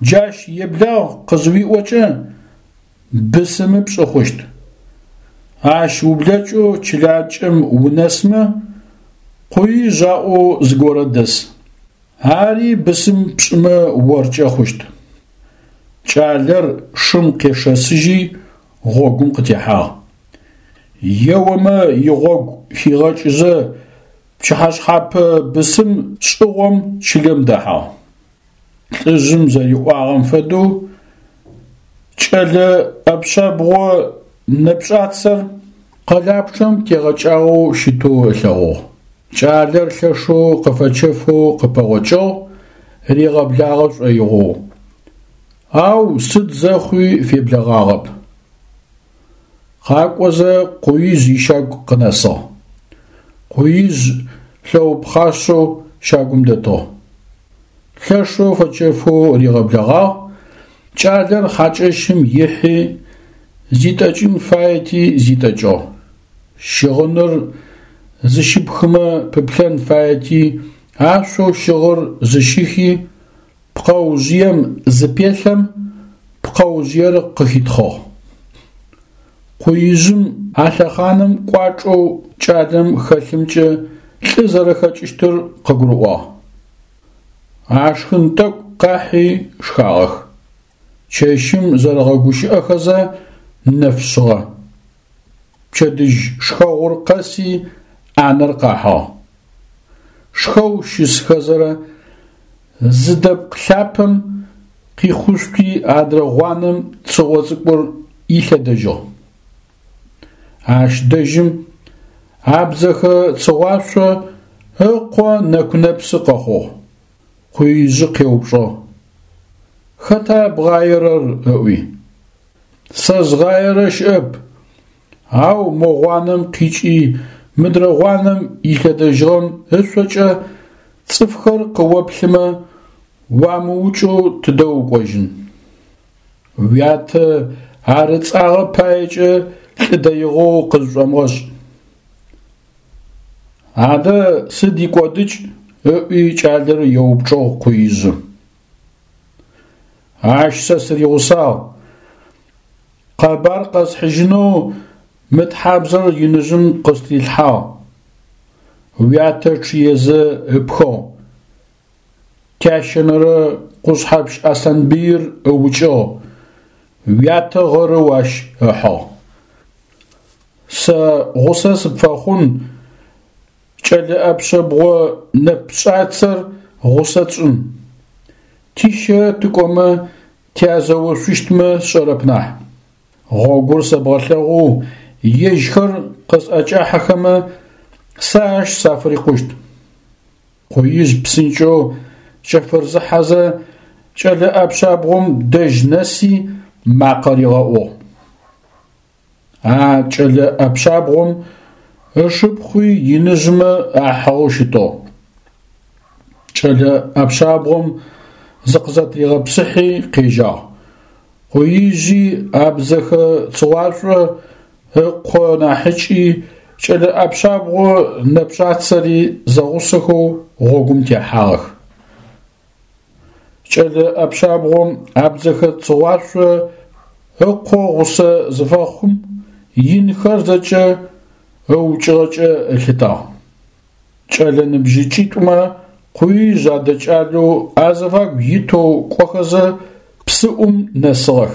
Джащ еблагъ къызыуиӏокӏэ, бысымы пшӏы хъущт. Ащ ублэкӏэу чылакӏэм унэсмэ, Къуижъ аӏоу зыгорэ дэс. Ари бысым пшӏымэ оркӏэ хъущт. Кӏалэр шым къешэсыжьи гъогум къытехьагъ. Еомэ игъогу хигъэкӏызэ пчыхьэшъхьапэ бысым шӏыгъом чылэм дэхьагъ. Лӏыжъым зэриӏуагъэм фэдэу кӏэлэ ӏэпшъэбгъо нэпшӏацэр къэлапчъэм тегъэкӏагъэу щытэу ылъэгъугъ. Кӏалэр лъэшэу къыфэчэфэу къыпэгъокӏыгъ, ригъэблагъэ шӏоигъоу. Ау сыд зэхъуи феблэгъагъэп. Къакӏозэ Къуижъ ищагу къынэсыгъ. Къуижъ лъэупхъашъэу щагум дэтыгъ. Лъэшэу фэчэфэу ригъэблэгъагъ, кӏалэр хьакӏэщым ихьи, зитӏэкӏын фаети зитӏэкӏыгъ. Щыгъыныр зыщыпхымэ пыплъэн фаети, ашъоу щыгъыр зыщихи, пкъэужъыем зыпелъэм, пкъэужъыер къыхитхъыгъ. Къуижъым а лъэхъаным кӏуачӏэу кӏалэм хэлъымкӏэ лӏы зэрэхэкӏыщтыр къыгурыӏуагъ. Ашхын тӏэкӏу къахьи шхагъэх. Чэщым зэрэгъэгущыӏэхэзэ нэф шъыгъэ. Пчэдыжь шхэгъур къэси ӏанэр къахьыгъ. Шхэу щысхэзэрэ зы дэпкъ лъапэм къихъушъути адрэ гъуанэм цыгъо цӏыкӏур илъэдэжьыгъ. Ащ дэжьым абдзэхэ цыгъуашъо ыкъо нэку-нэпсы къэхъугъ. Къуижъы къеупчӏыгъ: Хэта бгъаерэр? ыӏуи. Сэ згъаерэ щыӏэп, ау мо гъуанэм къикӏи мыдрэ гъуанэм илъэдэжьыгъэм ышъокӏэ цӏыфхэр къыоплъымэ, уамыукӏэу тыдэ укӏожьын? Уятэ ар ыцӏагъэ паекӏэ лӏы дэигъэу къызшӏомыгъэшӏ. Адэ сыд икӏодыкӏ? ыӏуи кӏалэр еупчӏыгъ Къуижъы. Ащ сэ сыригъусагъ. Къэбар къэсхьыжьынэу мы тхьабзэр иныжъым къыстрилъхьагъ. Уятэ чъыезэ ыпхыгъ. Тящэнэрэ Къушъхьэпщ Аслъанбыир ыукӏыгъ, уятэ гъэрэу ащ ыхьыгъ. Сэ гъусэ сыпфэхъун, кӏэлэ ӏэпшъэбгъо нэпшӏацэр гъусэ тшӏын. Тищэ тыкӏомэ тязэошъущтмэ сшӏэрэп нахь. Гъогур сэбгъэлъэгъоу ежьхэр къысӏэкӏахьэхэмэ, сэ ащ сафырикъущт. Къуижъ псынкӏэу кӏэфырзыхьэзэ кӏэлэ ӏэпшъабгъом дэжь нэси макъэ ригъэӏугъ. А кӏэлэ ӏэпшъабгъом ышыпхъуи иныжъмэ ахьыгъэу щытыгъ. Кӏэлэ ӏэпшъабгъом зыкъызэтригъэпсыхьи къежьагъ. Къуижъи абдзэхэ цыгъуашӏо ыкъо нахьыкӏи кӏэлэ ӏэпшъабгъо нэпшӏацэри зэгъусэхэу гъогум техьагъэх. Кӏэлэ ӏэпшъабгъом абдзэхэ Цыгъуашъо ыкъо гъусэ зыфэхъум, инхэр зэкӏэ ыукӏыгъэкӏэ ылъытагъ. Кӏэлэ ныбжьыкӏитӏумэ Къуижъ адэкӏалэу азыфагу итэу кӏохэзэ псыӏум нэсыгъэх.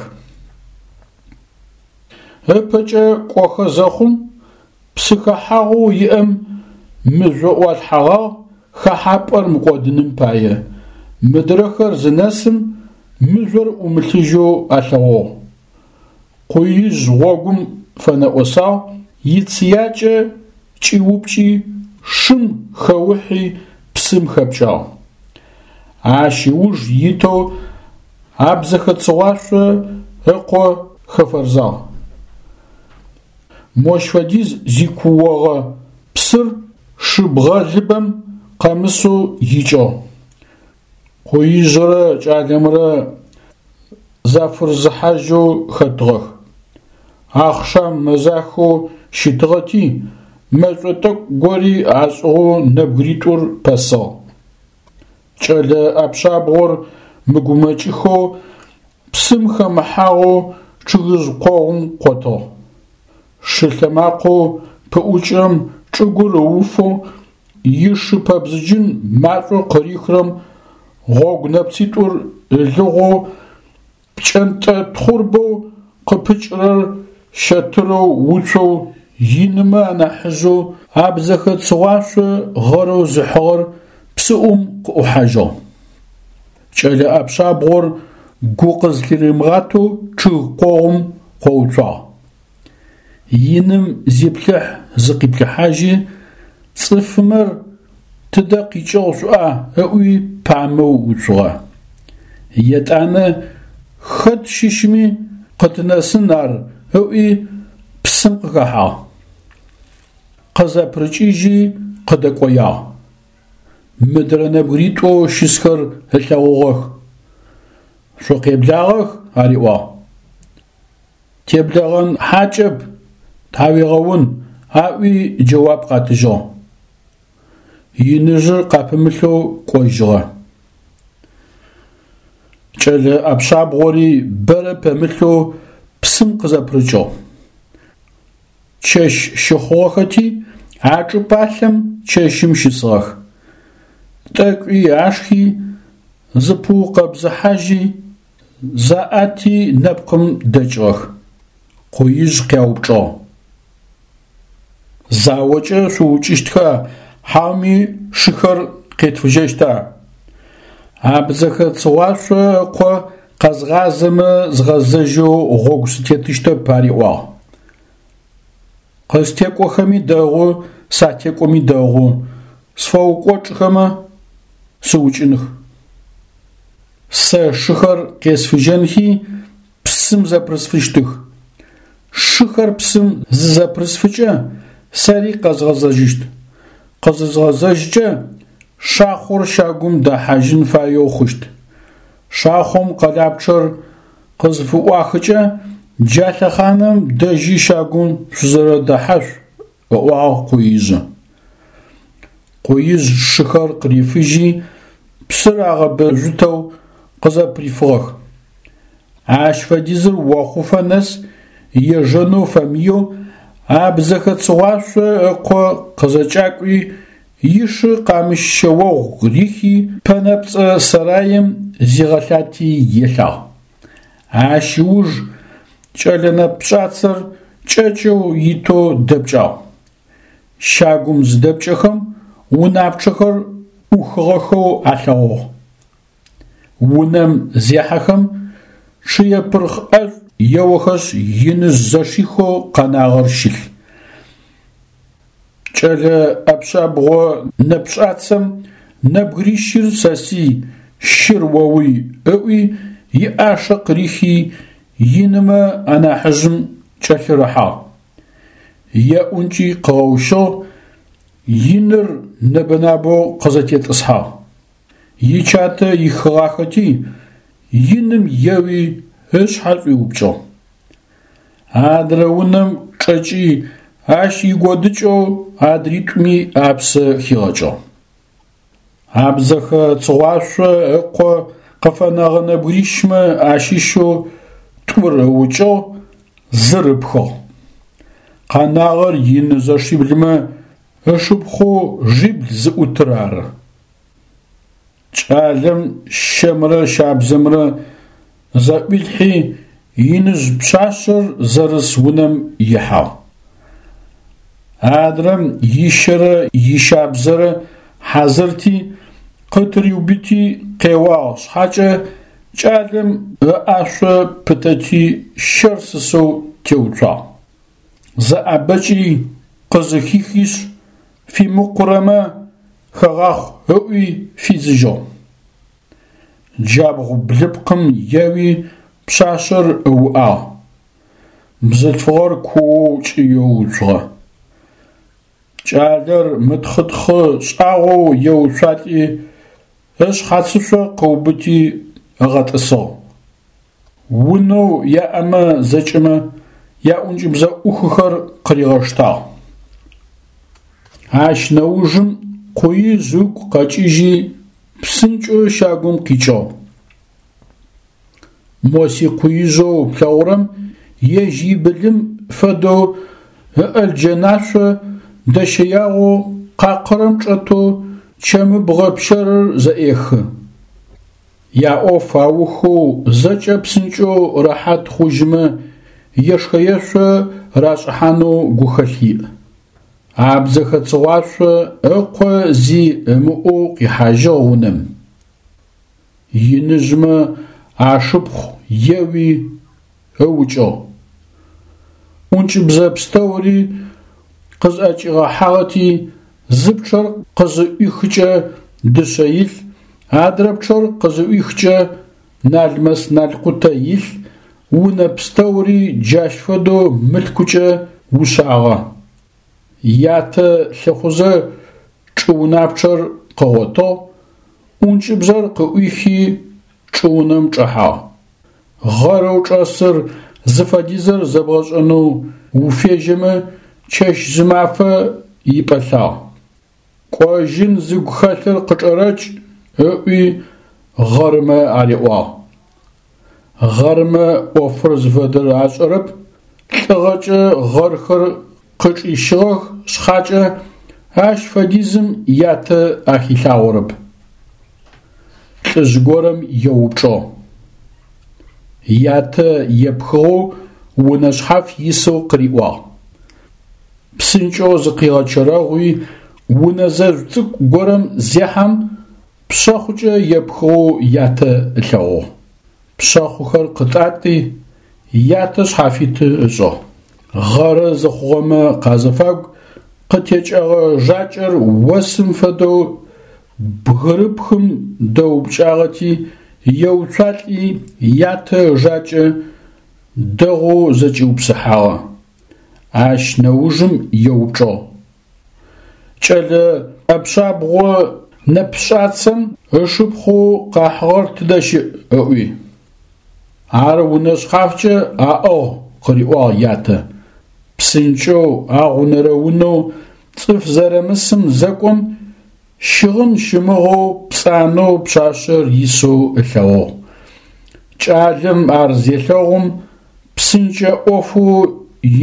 Ыпэкӏэ кӏохэ зэхъум псы хэхьагъоу иӏэм мыжъо ӏуалъхьэгъагъ хэхьапӏэр мыкӏодыным пае, мыдрэхэр зынэсым мыжъор ӏумылъыжьэу алъэгъугъ. Къуижъ гъогум фэнэӏосагъ, ицыякӏэ кӏиупкӏи, шым хэухьи псым хэпкӏагъ. Ащ ыуж итэу Абдзэхэ Цыгъуашъо ыкъо хэфэрзагъ. Мощ фэдиз зикуогъэ псыр шы бгъэлыбэм къэмысэу икӏыгъ. Къуижърэ кӏалэмрэ зафырзыхьажьэу хэтыгъэх. Ахъшам мэзахэу щытыгъэти, мэшӏо тӏэкӏу гори ашӏыгъэу нэбгыритӏур пэсыгъ. Кӏэлэ ӏэпшъабгъор мыгумэкӏыхэу, псым хэмыхьагъэу чъыгыжъ къогъум къотыгъ. Шы лъэмакъэу пыӏукӏырэм чӏыгур ыуфэу, ишы пэбзыджын машӏоу къырихрэм гъогу нэпцитӏур ылыгъоу, пкӏэнтӏэ тхъурбэу къыпыкӏырэр щэтырэу уцоу инымэ анахьыжъэу абдзэхэ Цыгъуашъо гъэрэу зыхьыгъэр псыӏум къыӏухьажьыгъ. Кӏэлэ ӏэпшъабгъор гу къызлъыримыгъатэу чъыг къогъум къоуцуагъ. Иным зиплъыхь-зыкъиплъыхьажьи, цӏыфымэр тыдэ къикӏыгъ шъуӏуа ыӏуи памэу уцугъэ. Етӏанэ хэт щыщми къытынэсын ар ыӏуи псым къыхэхьагъ. Къызэпырыкӏыжьи къыдэкӏоягъ. Мыдрэ нэбгыритӏоу щысхэр ылъэгъугъэх. Шъукъеблагъэх, ариӏуагъ. Теблэгъэн хьакӏэп, тхьауегъэун, аӏуи джэуап къатыжьыгъ. Иныжъыр къапымылъэу кӏожьыгъэ. Кӏэлэ ӏэпшъабгъори бэрэ пэмылъэу псым къызэпырыкӏыгъ. Чэщ щыхъугъэхэти, а чӏыпӏалъэм чэщым щысыгъэх. Тӏэкӏуи ашхи, зыпыукъэбзыхьажьи, Заӏэти нэпкъым дэкӏыгъэх. Къуижъ къяупчӏыгъ: Заокӏэ шъуукӏыщтха, хьауми шыхэр къетфыжьэщта? Абдзэхэ Цыгъуашъо ыкъо къэзгъазэмэ згъэзэжьэу гъогу сытетыщтэп ариӏуагъ. Къыстекӏохэми дэгъу, сатекӏоми дэгъу, сфэукӏочӏхэмэ, сыукӏыных. Сэ шыхэр къесфыжьэнхи, псым зэпырысфыщтых. Шыхэр псым зызэпырысфыкӏэ, сэри къэзгъэзэжьыщт. Къызызгъэзэжькӏэ, шахъор щагум дэхьажьын фаеу хъущт. Шахъом къэлапчъэр къызыфыӏуахыкӏэ, джа лъэхъаным дэжьи щагум шъузэрэдэхьашъу, ыӏуагъ Къуижъы. Къуижъ шыхэр къырифыжьи, псыр агъэбэжъутэу къызэпырифыгъэх. Ащ фэдизыр охъуфэ нэс ежэнэу фэмыеу Абдзэхэ Цыгъуашъо ыкъо къызэкӏакӏуи, ишы къамыщ шъэогъу рихи, Пэнэпцӏэ сэраим зигъэлъати елъагъ. Ащ ыуж кӏэлэ нэпшӏацэр кӏэкӏэу итэу дэпкӏагъ. Щагум зыдэпкӏэхэм унапчъэхэр ӏухыгъэхэу алъэгъугъ. Унэм зехьэхэм чъыепырхъ ӏэшӏу еохэшъ иныжъ зэшихэу къэнагъэр щылъ. Кӏэлэ ӏэпшъабгъо нэпшӏацэм нэбгырищыр сэсый, щыр оуй ыӏуи иӏашэ къырихи инымэ анахьыжъым кӏэлъырыхьагъ. Еӏункӏи къыгъэущыгъ, иныр нэбэ-набэу къызэтетӏысхьагъ. Ичатэ ихыгъахэти, иным еуи ышъхьэ шӏуиупкӏыгъ. Адрэ унэм чӏэкӏи, ащ игодыкӏэу адритӏуми апсэ хигъэкӏыгъ. Абдзэхэ Цыгъуашъо ыкъо Къыфэнэгъэ нэбгырищмэ ащыщэу тӏур ыукӏыгъ, зыр ыпхыгъ. Къэнагъэр ины зэшиблымэ ышыпхъоу жъибл зыӏутыр ары. Кӏалэм щэмрэ щабзэмрэ зэӏуилъхьи, иныжъ пшъашъэр зэрыс унэм ихьагъ. Адрэм ищэрэ ищабзэрэ хьазырти, къытыриубыти къеуагъ шъхьакӏэ, кӏалэм ыӏашъо пытэти щэр сысэу теуцуагъ. Зэӏэбэкӏи къызыхихишъ, фимыкъурэмэ хэгъахъу ыӏуи фидзыжьыгъ. Джабгъу блыпкъым еуи пшъашъэр ыуӏагъ. Бзылъфыгъэр куоу кӏыеу уцугъэ. Кӏалэр мытхъытхъы шӏагъоу еуцуалӏи, ышъхьацышъо къыубыти ыгъэтӏысыгъ. Унэу яӏэмэ зэкӏэмэ яӏункӏыбзэӏухыхэр къыригъэштагъ. Ащ нэужым Къуижъ ыгу къэкӏыжьи, псынкӏэу щагум къикӏыгъ. Мо си къуижъэу плъэгъурэм ежь ибылым фэдэу ыӏэлджэнашъо дэщэягъэу къакъырым чӏэтэу чэмыбгъэ пщэрыр зэӏехы. Яӏоф аухэу зэкӏэ псынкӏэу рэхьат хъужьымэ ешхэ-ешъо рашӏыхьанэу гухэлъ иӏ. Абдзэхэ Цыгъуашъо ыкъо зи ымыӏоу къихьажьыгъ унэм. Иныжъмэ ашыпхъу еуи ыукӏыгъ. ӏункӏыбзэ пстэури къызӏэкӏигъэхьагъэти, зы пчъэр къызыӏуихыкӏэ дышъэ илъ, адрэ пчъэр къызыӏуихыкӏэ налмэс-налкъутэ илъ, унэ пстэури джащ фэдэу мылъкукӏэ ушъагъэ. Ятэ лъыхъузэ чӏыунапчъэр къыгъотыгъ, ӏункӏыбзэр къыӏуихи чӏыунэм чӏэхьагъ. Гъэрэу чӏэсыр зыфэдизыр зэбгъэшӏэнэу уфежьэмэ, чэщ-зымафэ ипӏэлъагъ. Кӏожьын зыгу хэлъыр къычӏэрэкӏ, ыӏуи гъэрмэ ариӏуагъ. Гъэрмэ ӏофыр зыфэдэр ашӏэрэп, лӏыгъэкӏэ гъэрхэр къычӏищыгъэх шъхьакӏэ, ащ фэдизым ятэ ахилъагъорэп. Лӏыжъ горэм еупчӏыгъ. Ятэ епхыгъэу унэ шъхьаф исэу къыриӏуагъ. Псынкӏэу зыкъигъэчэрэгъуи, унэ зэжъу цӏыкӏу горэм зехьэм, пшъэхъукӏэ епхыгъэу ятэ ылъэгъугъ. Пшъэхъухэр къытӏатӏи, ятэ шъхьафиты ышӏыгъ. Гъэры зыхъугъэмэ къазыфагу къытекӏэгъэ жакӏэр осым фэдэу бгырыпхым дэупкӏагъэти, еуцуалӏи ятэ ыжакӏэ дэгъоу зэкӏиупсыхьагъэ. Ащ нэужым еупчӏыгъ. Кӏэлэ ӏэпшъабгъо нэпшӏацэм ышыпхъоу къахьыгъэр тыдэ щыӏ? ыӏуи. Ар унэ шъхьафкӏэ аӏыгъ, къыриӏуагъ ятэ. Псынкӏэу агъунэрэ унэу цӏыф зэрымысым зэкӏом, щыгъын щымыгъэу пцӏанэу пшъашъэр исэу ылъэгъугъ. Кӏалэм ар зелъэгъум, псынкӏэ ӏофэу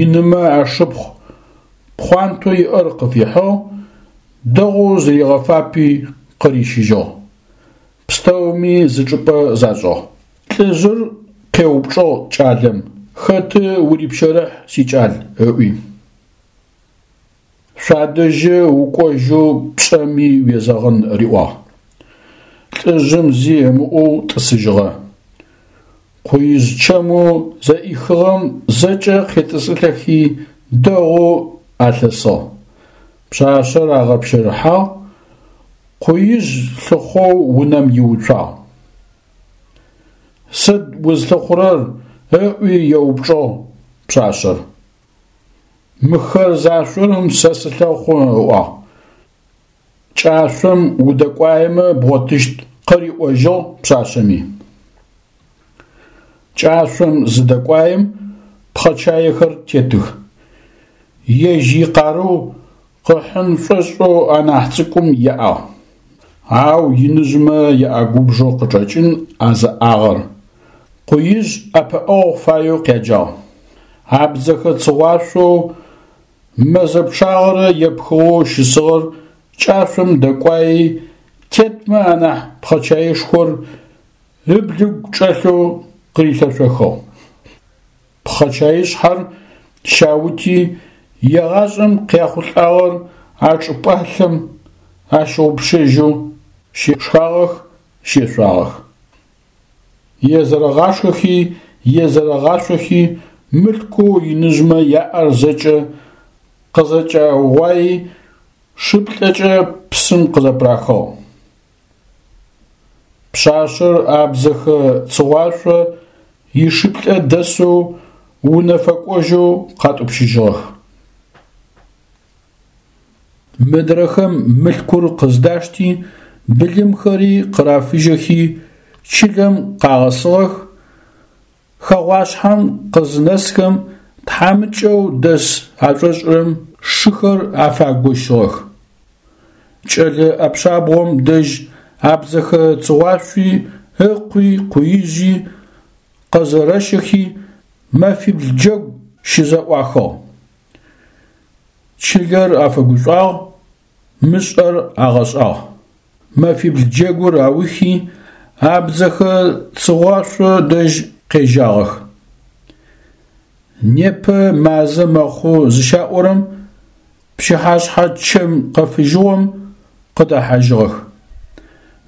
инымэ ашыпхъу пхъуантэу иӏэр къыфихьыгъ, дэгъоу зыригъэфапи къырищыжьыгъ. Пстэуми зы чӏыпӏэ зашӏыгъ. Лӏыжъыр къеупчӏыгъ кӏалэм, Хэты урипщэрыхь, сикӏал? ыӏуи. Шъуадэжьы укӏожьэу пшӏэми уезэгъын, риӏуагъ. Лӏыжъым зи ымыӏоу тӏысыжьыгъэ. Къуижъ чэмэу зэӏихыгъэм зэкӏэ къетӏысылӏэхи дэгъоу алъэсыгъ. Пшъашъэр агъэпщэрыхьагъ, Къуижъ лъыхъоу унэм иуцуагъ. Сыд узлъыхъурэр? ыӏуи еупчӏыгъ пшъашъэр. Мыхэр зашъорэм сэ сылъэхъу, ыӏуагъ. Кӏашъом удэкӏуаемэ бгъотыщт, къыриӏожьыгъ пшъашъэми. Кӏашъом зыдэкӏуаем пхъэчаехэр тетых. Ежь икъарыу къыхьын шӏошӏэу анахь цӏыкӏум еӏагъ. Ау иныжъмэ яӏэгубжъэу къычӏэкӏын а зыӏагъэр. Къуижъ ӏэпыӏэгъу фаеу къяджагъ. Абдзэхэ Цыгъуашъоу мэзэ пчъагъэрэ епхыгъэу щысыгъэр кӏашъом дэкӏуаи, тетмэ анахь пхъэчаишхор ыблыгу чӏэлъэу къырилъэшъохыгъ. Пхъэчаишъхьэр щаути, егъашӏэм къяхъулӏагъэр а чӏыпӏалъэм ащыгъупшэжьэу щышхагъэх, щешъуагъэх. Езэрэгъашхэхи, езэрэгъашъохи, мылъкоу иныжъмэ яӏэр зэкӏэ къызэкӏаугъуаи, шыплӏэкӏэ псым къызэпырахыгъ. Пшъашъэр абдзэхэ Цыгъуашъо ишыплӏэ дэсэу унэ фэкӏожьэу къатӏупщыжьыгъэх. Мыдрэхэм мылъкур къыздашти, былымхэри къырафыжьэхи, чылэм къагъэсыгъэх, Хэгъуашъхьэм къызынэсхэм тхьамыкӏэу дэс ашӏошӏырэм шыхэр афагощыгъэх. Кӏэлэ ӏэпшъабгъом дэжь абдзэхэ Цыгъуашъуи ыкъуи Къуижъи къэзэрэщэхи мэфибл джэгу щызэӏуахыгъ. Чылэр афэгушӏуагъ, мышӏэр агъэшӏагъ. Мэфибл джэгур аухи, абдзэхэ Цыгъуашъо дэжь къежьагъэх. Непэ мазэ мэхъу зыщаӏорэм, пчыхьашъхьэ чэм къэфыжьыгъом къыдэхьажьыгъэх.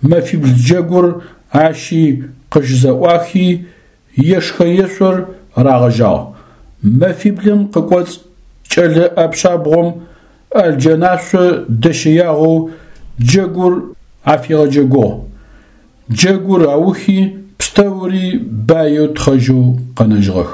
Мэфибл джэгур ащи къыщызэӏуахи, ешхэ-ешъор рагъэжьагъ. Мэфиблым къыкӏоцӏ кӏэлэ ӏэпшъабгъом ӏэлджэнашъо дэщэягъэу джэгур афигъэджэгугъ. Джэгур аухи, пстэури баеу тхъэжьэу къэнэжьыгъэх.